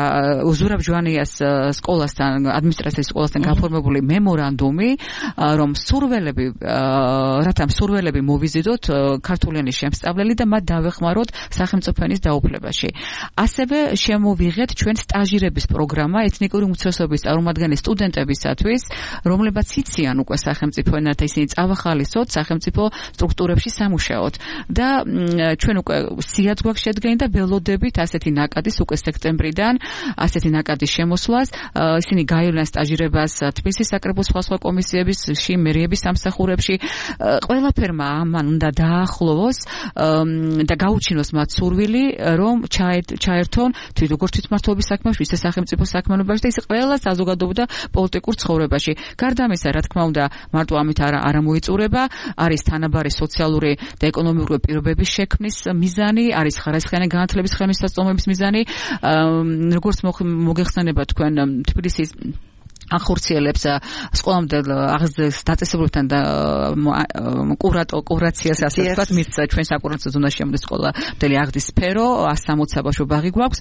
ზურაბ ჟვანიას სკოლასთან, ადმინისტრაციის სკოლასთან გაფორმებული მემორანდუმი, რომ რათა მსურველები მოვიზიდოთ ქართულენის შემსწავლელი და მათ დავეხმაროთ სახელმწიფო ენის დაუფლებაში. ასევე შემოვიღეთ ჩვენ სტაჟირების პროგრამა ეთნიკური უმცირესობის წარმომადგენელი სტუდენტებისათვის, რომლებიც იციან უკვე სახელმწიფო ენა და ისინი წავახალისოთ სახელმწიფო სტრუქტურებში სამუშაოდ და ჩვენ უკვე სიაც გვაქვს შედგენი და ველოდებით ასეთი ნაკადის უკვე სექტემბრიდან ასეთი ნაკადის შემოსვლას. ისინი გაივლიან სტაჟირებას თბილისის საკრებულოს სხვა კომისიებში, მერიების სამსახურებში. ყველაფერმა ამან უნდა დაახლოვოს და გაუჩინოს მათ სურვილი, რომ ჩაერთონ როგორც თვითმმართველობის საქმეში, ისე სახელმწიფო საქმიანობაში და ისე ყველა საზოგადოებრივ და პოლიტიკურ ცხოვრებაში. გარდა ამისა, რა თქმა უნდა, მარტო ამით არ მოიწურება, არის თანაბარი სოციალური და ეკონომიკური პირობების შექმნის მიზანი, არის ხარისხიანი განათლების ხელმისაწვდომების მიზანი, როგორც მოგეხსენება თქვენ თბილისის ახორციელებს სკოლამდე დაწესებულებთან და კურაციას ასე ვთქვათ, მის ჩვენ საკურაციო ზონაში შემოდის სკოლა მთელი აღდის სფერო, 160 საბავშვო ბაღი გვაქვს.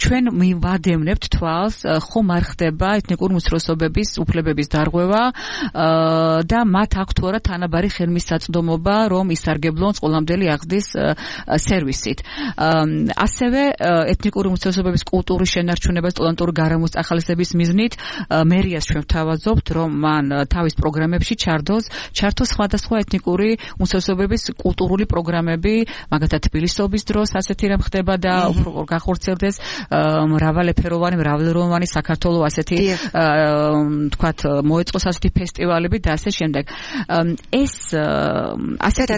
ჩვენ მივადევნებთ თვალს, ხომ არ ხდება ეთნიკური უმცირესობების უფლებების დარღვევა და მათ აქვთ თუ არა თანაბარი ხელმისაწვდომობა, რომ ისარგებლონ სკოლამდელი აღდის სერვისით. ასევე ეთნიკური უმცირესობების კულტურის შენარჩუნება, სტუდენტური გარემოს ახალისების მიზნით მერიას ჩვენ ვთავაზობთ, რომ მან თავის პროგრამებში ჩართოს სხვადასხვა ეთნიკური უმცირესობების კულტურული პროგრამები, მაგალითად თბილისობის დროს ასეთი რამ ხდება და გახორციელდეს მრავალფეროვანი, მრავალროვანი საქართველოს ასეთი თქვათ მოეწყოს ასეთი ფესტივალები და ასე შემდეგ. ეს ასეთი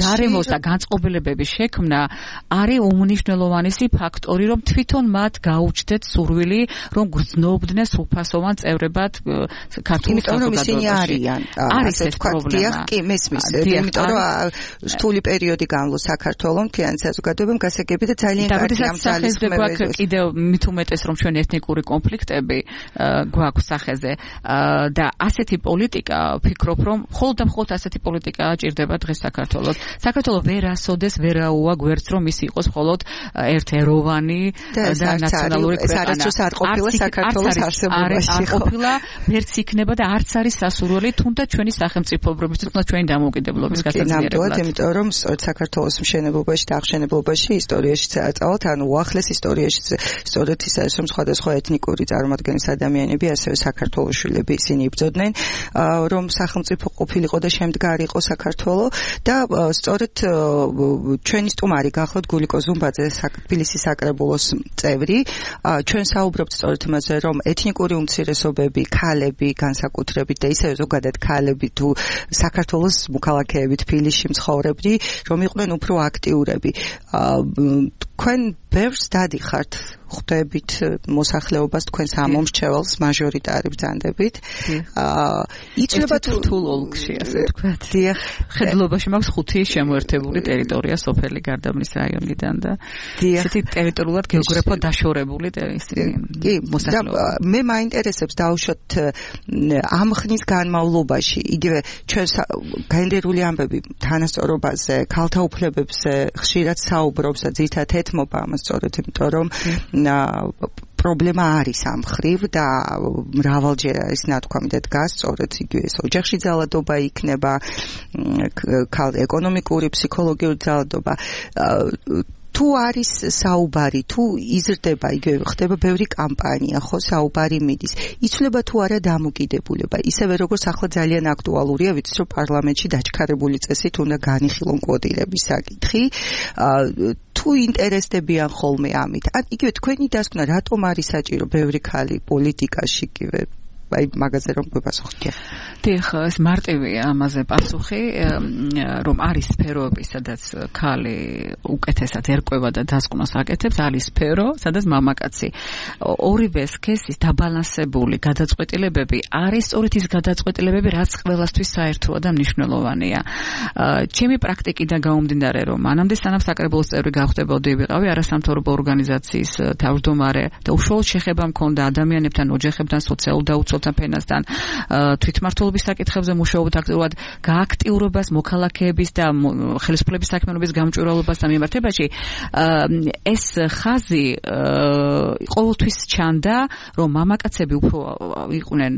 გარემოს და განწყობილებების შექმნა არის უმნიშვნელოვანესი ფაქტორი, რომ თვითონ მათ გაუჩნდეთ სურვილი, რომ ცნობდნენ სრულფასოვან წევრებად ქართულ საზოგადოებაში. არის ეს პრობლემა. კი, მესმის. იმიტომ რომ რთული პერიოდი განვლო საქართველოს მთლიანი საზოგადოებამ გასაგები და ძალიან კარგი ამ ძალის გვაქვს კიდევ მით უმეტეს რომ ჩვენ ეთნიკური კონფლიქტები გვაქვს სახეზე და ასეთი პოლიტიკა ვფიქრობ რომ მხოლოდ და მხოლოდ ასეთი პოლიტიკა ჭირდება დღეს საქართველოს. საქართველოს ვერასოდეს ვერაუა გვერდს რომ ის იყოს მხოლოდ ერთეროვანი და ნაციონალური ქვეყანა. ეს არ ყოფილა საქართველოს არსებობაში. არ ყოფილა ვერც იქნება და არც არის სასურველი თუნდაც ჩვენი სახელმწიფოებრებისთვის და ჩვენი დამოუკიდებლობის გასაძლიერებლად. ნამდვილად, იმიტომ რომ საქართველოს მშენებლობაში და აღშენებლობაში ისტორიაში წააწავთ, ანუ უახლეს ისტორიაში სწორედ ის არის რომ სხვადასხვა ეთნიკური წარმოადგენის ადამიანები, ასევე საქართველოს შვილები ისინი იბრძოდნენ, რომ სახელმწიფო ყოფილიყო და შემდგარიყო საქართველო და სწორედ ჩვენი სტუმარი გახლავთ გულიკო ზუმბაძე, თბილისის საკრებულოს წევრი. ჩვენ საუბრობთ სწორედ იმაზე, რომ ეთნიკური უმცირესობები, ქალები განსაკუთრებით და ისევე ზოგადად ქალები თუ საქართველოს მოქალაქეები თბილისში მცხოვრები, რომ იყვნენ უფრო აქტიურები. თქვენ ბევრს დადიხართ ხვდებით მოსახლეობას თქვენს ამომრჩეველს მაჟორიტარი ბრძანდებით. იცლება რთულ ოლქში, ასე ვთქვათ. დიახ, ხედლობაში მაქვს 5 შემოერთებული ტერიტორია სოფელი გარდაბნის რაიონიდან და ესეთი ტერიტორიულად გეოგრაფიულად დაშორებული მოსახლეობა. მე მაინტერესებს დაუშვათ ამ ხნის განმავლობაში, იგივე ჩვენ გენდერული ამბები თანასწორობაზე, ქალთა უფლებებზე ხშირად საუბრობს და ძირითადად ეთმობა ამას სწორედ იმიტომ რომ პრობლემა არის ამ მხრივ და მრავალჯერ არის ნათქვამი და დგას სწორედ იგივე ოჯახში ძალადობა იქნება, ეკონომიკური, ფსიქოლოგიური ძალადობა. თუ არის საუბარი, თუ იზრდება, იგივე ხდება ბევრი კამპანია, ხო, საუბარი მიდის. იცვლება თუ არა დამოკიდებულება. ისევე როგორც ახლა ძალიან აქტუალურია, ვიცით რომ პარლამენტში დაჩქარებული წესით უნდა განიხილონ კვოტირების საკითხი. თუ ინტერესდებიან ხოლმე ამით. იგივე თქვენი დასკვნა, რატომ არის საჭირო ბევრი ქალი პოლიტიკაში იგივე აი მაგაზე რომ გვეპასუხოთ. დიახ, ეს მარტივია ამაზე პასუხი, რომ არის სფეროები, სადაც ქალი უკეთესად ერკვევა და დასკვნას აკეთებს, არის სფერო, სადაც მამაკაცი. ორივე სქესის დაბალანსებული გადაწყვეტილებები არის სწორედ ის გადაწყვეტილებები, რაც ყველასთვის საერთოა და მნიშვნელოვანია. ჩემი პრაქტიკიდან გამომდინარე, რომ მანამდე სანამ საკრებულოს წევრი გავხდებოდი, ვიყავი არასამთავრობო ორგანიზაციის თავმჯდომარე და უშუალოდ შეხება მქონდა ადამიანებთან, ოჯახებთან, სოციალურ დაუცველთა ფენასთან, თვითმმართველობის საკითხებზე მუშაობთ აქტიურად, გააქტიურებას, მოქალაქეების და ხელისუფლების საქმიანობის გამჭვირვალობას და მიმართებაში. ეს ხაზი ყოველთვის ჩანდა, რომ მამაკაცები უფრო იყვნენ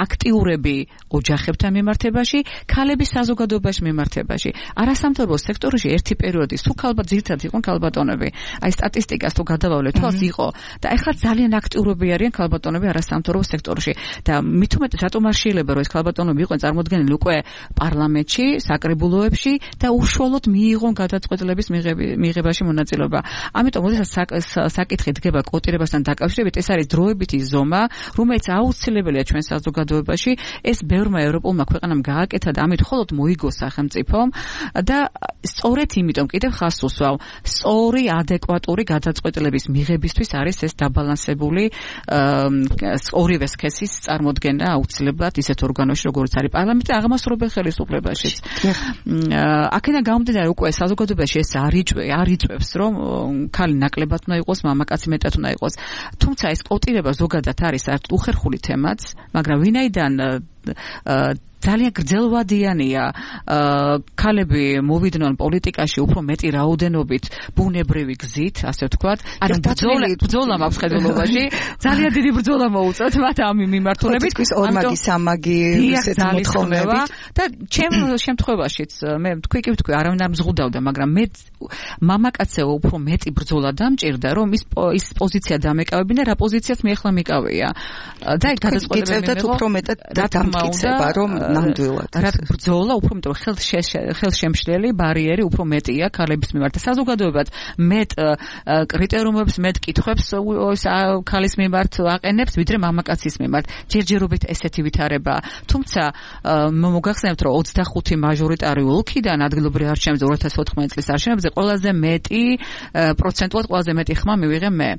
აქტიურები ოჯახებთან მიმართებაში, ქალები საზოგადოებაში მიმართებაში. არასამთავრობო სექტორში ერთი პერიოდი სულ ქალბატონები ძირითადად იყვნენ ქალბატონები. აი სტატისტიკას თუ გადავავლეთ, თვალს იყო და ეხლა ძალიან აქტიურები არიან ქალბატონები არასამთავრობო სექტორში. და მით უმეტეს რატომ არ შეიძლება რომ ეს ქალბატონები იყვნენ წარმოდგენილი უკვე პარლამენტში, საკრებულოებში და უშუალოდ მიიღონ გადაწყვეტილების მიღებაში მონაწილეობა. ამიტომ როდესაც საკითხი დგება კვოტირებასთან დაკავშირებით, ეს არის დროებითი ზომა, რომელიც აუცილებელია ჩვენ საზოგადოებაში. ეს ბევრმა ევროპულმა ქვეყანამ გააკეთა და ამით მხოლოდ მოიგო სახელმწიფომ და სწორედ იმიტომ კიდევ ხაზს უსვავ, სწორი, ადეკვატური გადაწყვეტილების მიღებისთვის არის ეს დაბალანსებული ორივე სქესის წარმოდგენა აუცილებლად ისეთ ორგანოში, როგორც არის პარლამენტი, აღმასრულებელ ხელისუფლებაშიც. აქედან გამომდინარე უკვე საზოგადოებაში ეს არ იწვევს, რომ ქალი ნაკლებად უნდა იყოს, მამაკაცი მეტად უნდა იყოს. თუმცა ეს კვოტირება ზოგადად არის საერთოდ უხერხული თემაც, მაგრამ ვინაიდან ძალიან გრძელვადიანია ქალები მოვიდნენ პოლიტიკაში უფრო მეტი რაოდენობით ბუნებრივი გზით, ასე ვთქვათ. ანუ ბრძოლა მაქვს ხედულობაში, ძალიან დიდი ბრძოლა მოუწევთ მათ ამ მიმართულებით. ის ორმაგი სამაგი ესეთ მოთხოვნებით და ჩემ შემთხვევაშიც მე თქვი, არავინ არ მზღუდავდა, მაგრამ მე მამაკაცზე უფრო მეტი ბრძოლა დამჭირდა, რომ ის პოზიცია დამეკავებინა, რა პოზიციაც მე ახლა მეკავია. და გადაწყვეტილებები უფრო მეტად დამტკიცება, რომ ნამდვილად. რა ბრძოლა უფრო მეტ ხელშემშლელი ბარიერი უფრო მეტია ქალების მიმართ. საზოგადოებაც მეტ კრიტერიუმებს, მეტ კითხვებს ქალის მიმართ აყენებს, ვიდრე მამაკაცის მიმართ. ჯერჯერობით ესეთი ვითარება. თუმცა მოგახსენებთ, რომ 25 მაჟორიტარი ოლქიდან ადგილობრივ არჩევნებზე 2014 წლის არჩევნებზე ყველაზე მეტი პროცენტულად ყველაზე მეტი ხმა მივიღე მე.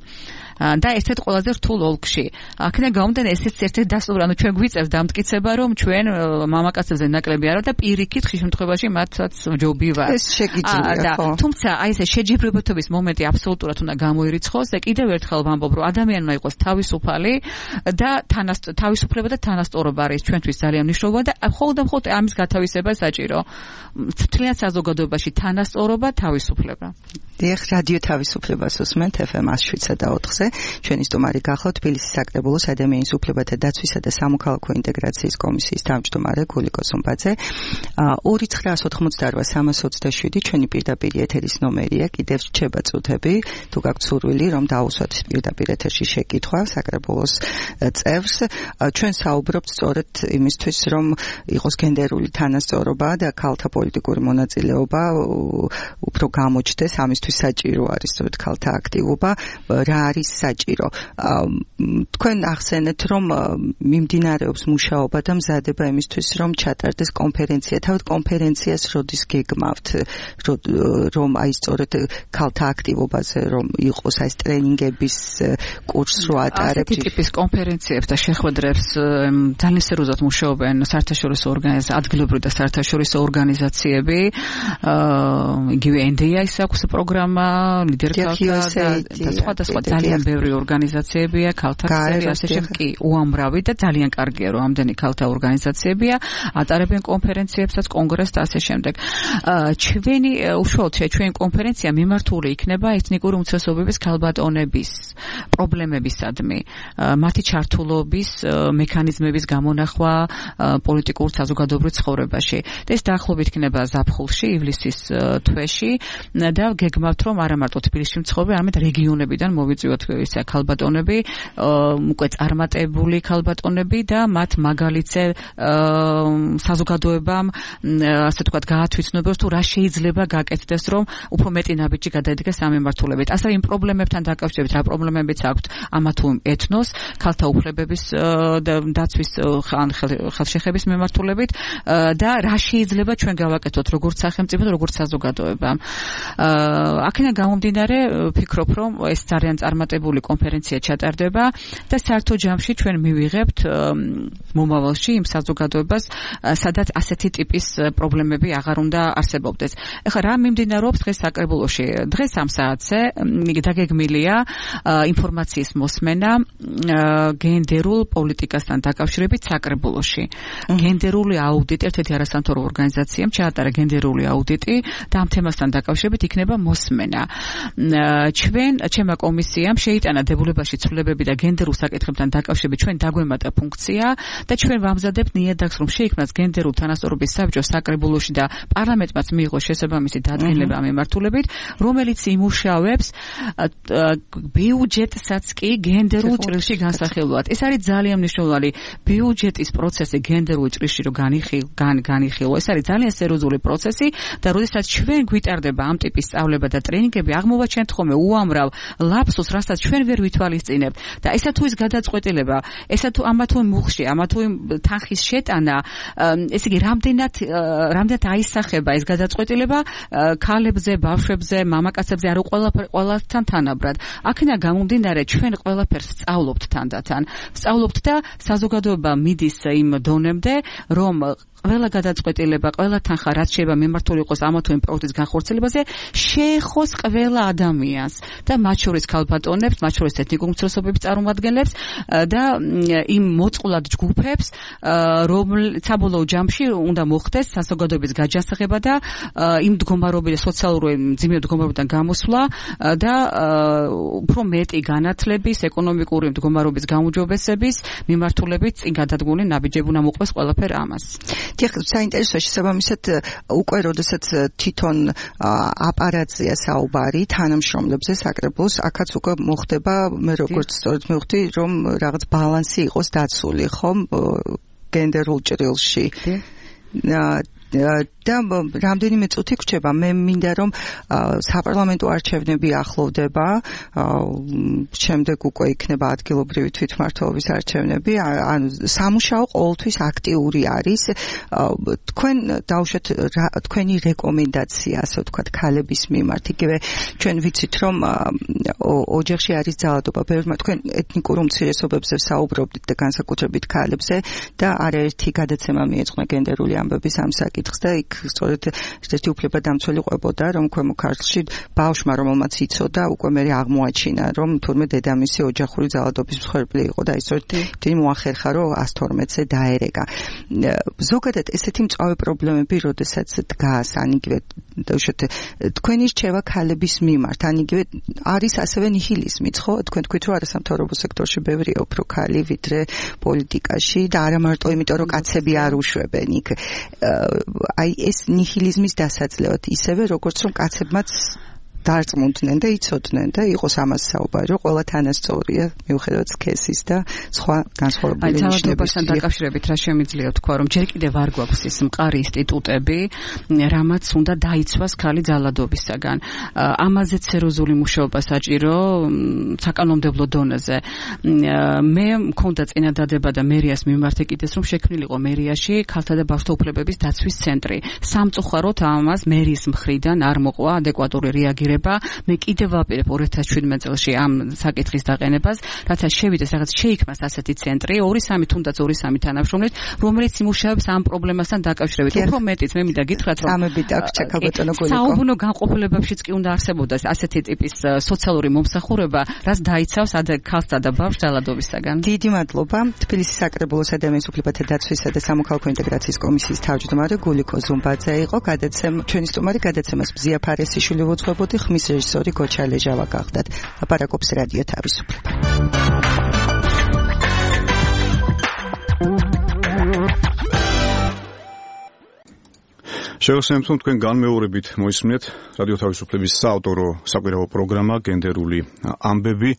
და ერთ-ერთ ყველაზე რთულ ოლქში. აქედან გამომდინარე ესეც ერთ-ერთი დასტური, ანუ ჩვენ გვიწევს დამტკიცება, რომ ჩვენ მამაკაცებზე ნაკლები არა და პირიქით ხშირ შემთხვევაში მათაც ჯობი ვარ. ეს შეგიძლია, ხო. თუმცა აი ეს შეჯიბრებათობის მომენტი აბსოლუტურად უნდა გამოირიცხოს და კიდევ ერთხელ ვამბობ, რომ ადამიანმა იყოს თავისუფალი და თავისუფლება და თანასწორობა არის ჩვენთვის ძალიან მნიშვნელოვანი და მხოლოდ ამის გათავისება საჭირო. მთლიან საზოგადოებაში თანასწორობა, თავისუფლება. დიახ, რადიო თავისუფლებას უსმენთ FM 107.4-ზე. ჩვენი სტუმარი გახლავთ თბილისის საკრებულოს ადამიანის უფლებათა დაცვისა და სამოქალაქო ინტეგრაციის კომისიის თავმჯდომარე გულიკო სუმბაძე. 2988327 ჩვენი პირდაპირ ეთერის ნომერია, კიდევ რჩება წუთები, თუ გაქვთ სურვილი, რომ დაუსვათ პირდაპირ ეთერში შეკითხვა საკრებულოს წევრს. ჩვენ საუბრობთ სწორედ იმისთვის, რომ იყოს გენდერული თანასწორობა და ქალთა პოლიტიკური მონაწილეობა უფრო გამოჩნდეს, ამისთვის საჭირო არის სწორედ ქალთა აქტივობა. რა არის საჭირო? თქვენ ახსენეთ, რომ მიმდინარეობს მუშაობა და მზადება იმისთვის, რომ ჩატარდეს კონფერენცია. თავად კონფერენციას როდის გეგმავთ, რომ აი სწორედ ქალთა აქტივობაზე რომ იყოს აი ტრენინგების კურსს რო ატარებთ? ასეთი ტიპის კონფერენციებს და შეხვედრებს ძალიან სერიოზულად მუშაობენ საერთაშორისო ორგანიზაციები, ადგილობრივი და საერთაშორისო ორგანიზაციები. იგივე NDI-ის აქვს პროგრამა, ლიდერ ქალთა და სხვადასხვა ძალიან ბევრი ორგანიზაციებია, ქალთა ქსელი, ასე შემდეგ კი უამრავი და ძალიან კარგია, რომ ამდენი ქალთა ორგანიზაციებია, ატარებენ კონფერენციებსაც, კონგრესს და ასე შემდეგ. ჩვენი კონფერენცია მიმართული იქნება ეთნიკური უმცირესობების ქალბატონების პრობლემებისადმი, მათი ჩართულობის მექანიზმების გამონახვა პოლიტიკურ საზოგადოებრივ ცხოვრებაში. და ეს დაახლოებით იქნება ზაფხულში, ივლისის თვეში და გეგმავთ, რომ არა მარტო თბილისში მცხოვრები, არამედ რეგიონებიდან მოვიწვიოთ ისე ქალბატონები, უკვე წარმატებული ქალბატონები და მათ მაგალითზე საზოგადოებამ ასე თქვათ გაათვითცნობოს, თუ რა შეიძლება გაკეთდეს, რომ უფრო მეტი ნაბიჯი გადაედგეს ამ მიმართულებით. ასევე იმ პრობლემებთან დაკავშირებით, რა პრობლემებიც აქვთ ამა თუ ეთნოს, ქალთა უფლებების დაცვის ან ხელშეხების მიმართულებით და რა შეიძლება ჩვენ გავაკეთოთ როგორც სახელმწიფო და როგორც საზოგადოება. აქედან გამომდინარე ვფიქრობ, რომ ეს ძალიან წარმატებული კონფერენცია ჩატარდება და საერთო ჯამში ჩვენ მივიღებთ მომავალში იმ საზოგადოებას, სადაც ასეთი ტიპის პრობლემები აღარ უნდა არსებობდეს. ეხლა რა მიმდინარეობს დღეს საკრებულოში? დღეს ამ საათზე დაგეგმილია ინფორმაციის მოსმენა გენდერულ პოლიტიკასთან დაკავშირებით საკრებულოში. გენდერული აუდიტი, ერთ-ერთი არასამთავრობო ორგანიზაციამ ჩაატარა გენდერული აუდიტი და ამ თემასთან დაკავშირებით იქნება მოსმენა. ჩვენმა კომისიამ შეიტანა დებულებაში ცვლილებები და გენდერულ საკითხებთან დაკავშირებით ჩვენ დაგვემატა ფუნქცია და ჩვენ ვამზადებთ ნიადაგს, რომ შეიქმნას გენდერულ თანასწორობის საბჭო საკრებულოში და პარლამენტმაც მიიღოს შესაბამისი დადგენილება ამ მიმართულებით, რომელიც იმუშავებს ბიუჯეტსაც კი გენდერულ ჭრილში განსახილვად. ეს არის ძალიან მნიშვნელოვანი ბიუჯეტის პროცესი გენდერულ ჭრილში რომ განიხილო. ეს არის ძალიან სერიოზული პროცესი და როდესაც ჩვენ გვიტარდება ამ ტიპის სწავლება და ტრენინგები, აღმოვაჩენთ ხოლმე უამრავ ლაფსუსს, რასაც ჩვენ ვერ ვითვალისწინებთ და ესა თუ ის გადაწყვეტილება, ესა თუ ამა თუ მუხში, ამა თუ თანხის შეტანა, ესე იგი რამდენად აისახება ეს გადაწყვეტილება ქალებზე, ბავშვებზე, მამაკაცებზე, არა ყველასთან თანაბრად. აქედან გამომდინარე ჩვენ ყველაფერს ვსწავლობთ თანდათან. ვსწავლობთ და საზოგადოება მიდის იმ დონემდე, რომ ყველა გადაწყვეტილება, ყველა თანხა, რაც შეიძლება მიმართული იყოს ამა თუ იმ პროექტის განხორციელებაზე, შეეხოს ყველა ადამიანს და მათ შორის ქალბატონებს, მათ შორის ეთნიკურ უმცირესობების წარმომადგენლებს და იმ მოწყვლად ჯგუფებს, რომელიც საბოლოო ჯამში უნდა მოხდეს საზოგადოების გაჯანსაღება და იმ მდგომარეობის სოციალური მძიმე მდგომარეობიდან გამოსვლა და უფრო მეტი განათლების, ეკონომიკური მდგომარეობის გაუმჯობესების მიმართულებით წინ გადადგმული ნაბიჯები უნდა მოყვეს ყველაფერ ამას. დიახ, საინტერესოა შესაბამისად უკვე როდესაც თვითონ აპარატზეა საუბარი თანამშრომლებზე საკრებულოს, აქაც უკვე მოხდება, მე როგორც სწორედ მივხვდი, რომ რაღაც ბალანსი იყოს დაცული, ხომ? გენდერულ ჭრილში. და რამდენიმე წუთი გრჩება მე მინდა რომ საპარლამენტო არჩევნები ახლოვდება შემდეგ უკვე იქნება ადგილობრივი თვითმმართველობის არჩევნები ანუ სამუშაო ყოველთვის აქტიური არის თქვენ დავუშვათ თქვენი რეკომენდაცია ასე ვთქვათ ქალების მიმართ იგივე ჩვენ ვიცით რომ ოჯახში არის ძალადობა ბევრმა თქვენ ეთნიკურ უმცირესობებზე საუბრობთ და განსაკუთრებით ქალებზე და არაერთი გადაცემა მიეძღვნა გენდერული ამბების ამ საკითხს და იქ სწორედ ერთი უფლება დამცველი ყვებოდა რომ ქვემო ქართლში ბავშვმა რომელმაც იცოდა უკვე მე აღმოაჩინა რომ თურმე დედამისი ოჯახური ძალადობის მსხვერპლი იყო და ისეთ მოახერხა რომ 112-ზე დაერეგა ზოგადად ესეთი მწვავე პრობლემები როდესაც დგას ან იგივე დაუშვათ თქვენი რჩევა ქალების მიმართ ან იგივე არის ასევე ნიჰილიზმიც ხო თქვენ თქვით რომ არასამთავრობო სექტორში ბევრია უფრო ქალი ვიდრე პოლიტიკაში და არა მარტო იმიტომ რომ კაცები არ უშვებენ იქ აი ეს ნიჰილიზმის დასაძლევად ისევე როგორც რომ კაცებმაც დარწმუნდნენ და იცოდნენ და იყოს ამას საუბარი რომ ყველა თანასწორია მიუხედავად სქესის და სხვა განსხვავებული ნიშნებისგან დაკავშირებით რა შემიძლია თქვა რომ ჯერ კიდევ არ გვაქვს ის მყარი ინსტიტუტები რამაც უნდა დაიცვას ქალი ძალადობისაგან ამაზეც სერიოზული მუშაობა საჭირო საკანონმდებლო დონეზე მე მქონდა წინადადება და მერიას მიმართ ეკიდეს რომ შექმნილიყო მერიაში ქალთა და ბავშვთა უფლებების დაცვის ცენტრი სამწუხაროდ ამას მერის მხრიდან არ მოყვა ადეკვატური რეაგირება მე კიდევ ვაპირებ 2017 წელს ამ საკითხის დაყენებას, რათა შევიდეს რაღაც შეიქმნას ასეთი ცენტრი, 2-3 თუნდაც 2-3 თანამშრომლით, რომელიც იმუშავებს ამ პრობლემასთან დაკავშირებით. უფრო მეტიც მე მინდა გითხრათ, რომ სამებით აქვს ჩაკაბატონო გულიკო. საუბნო განყოფილებებშიც კი უნდა არსებობდეს ასეთი ტიპის სოციალური მომსახურება, რაც დაიცავს ქალსა და ბავშვს ძალადობისაგან. დიდი მადლობა. თბილისის საკრებულო ადამიანის უფლებათა დაცვისა და სამოქალაქო ინტეგრაციის კომისიის თავმჯდომარე გულიკო ზუმბაძე იყო. ჩვენი სტუმარი გადაცემას ბზია ფარესიშვილი უძღვებოდი. ხმის რეჟისორი გოჩა ლეჟავა გახდათ. ლაპარაკობს რადიო თავისუფლება. შევასრულებთ თქვენ განმეორებით მოისმინეთ რადიო თავისუფლების საავტორო საკვირაო პროგრამა გენდერული ამბები.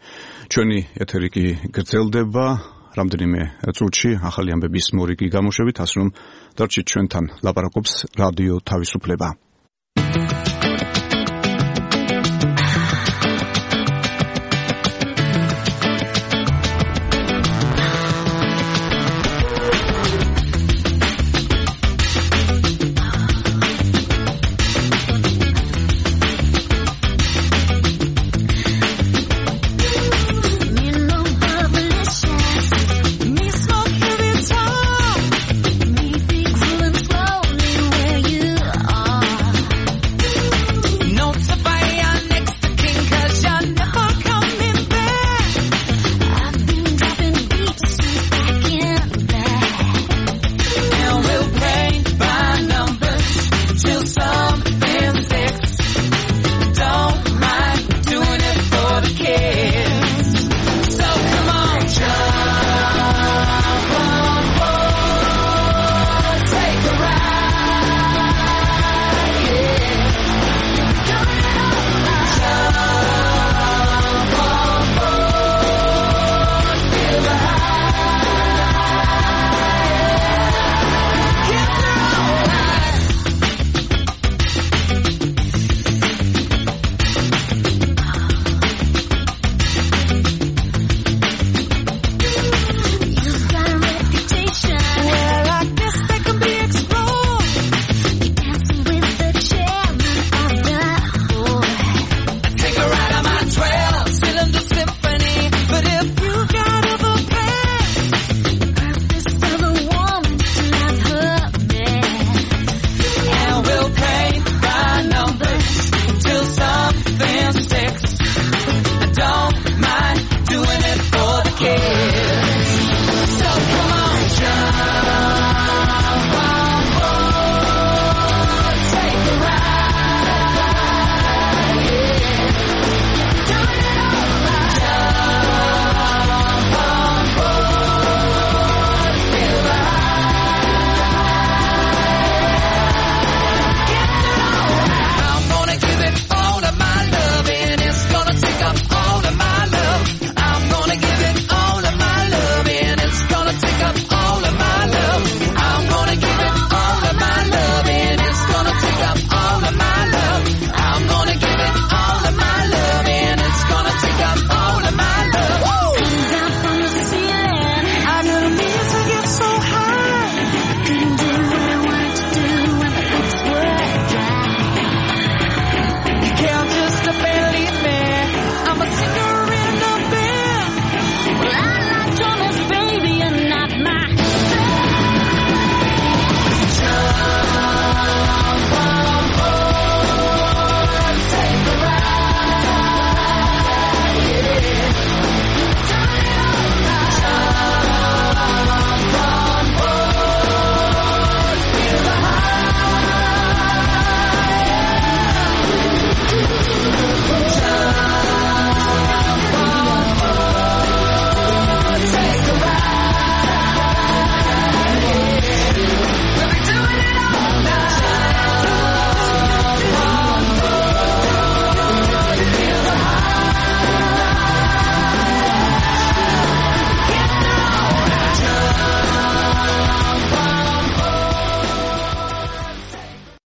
ჩვენი ეთერი კი გრძელდება რამდენიმე წუთში ახალი ამბების მორიგი გამოშვებით, ასე რომ დარჩით ჩვენთან. ლაპარაკობს რადიო თავისუფლება.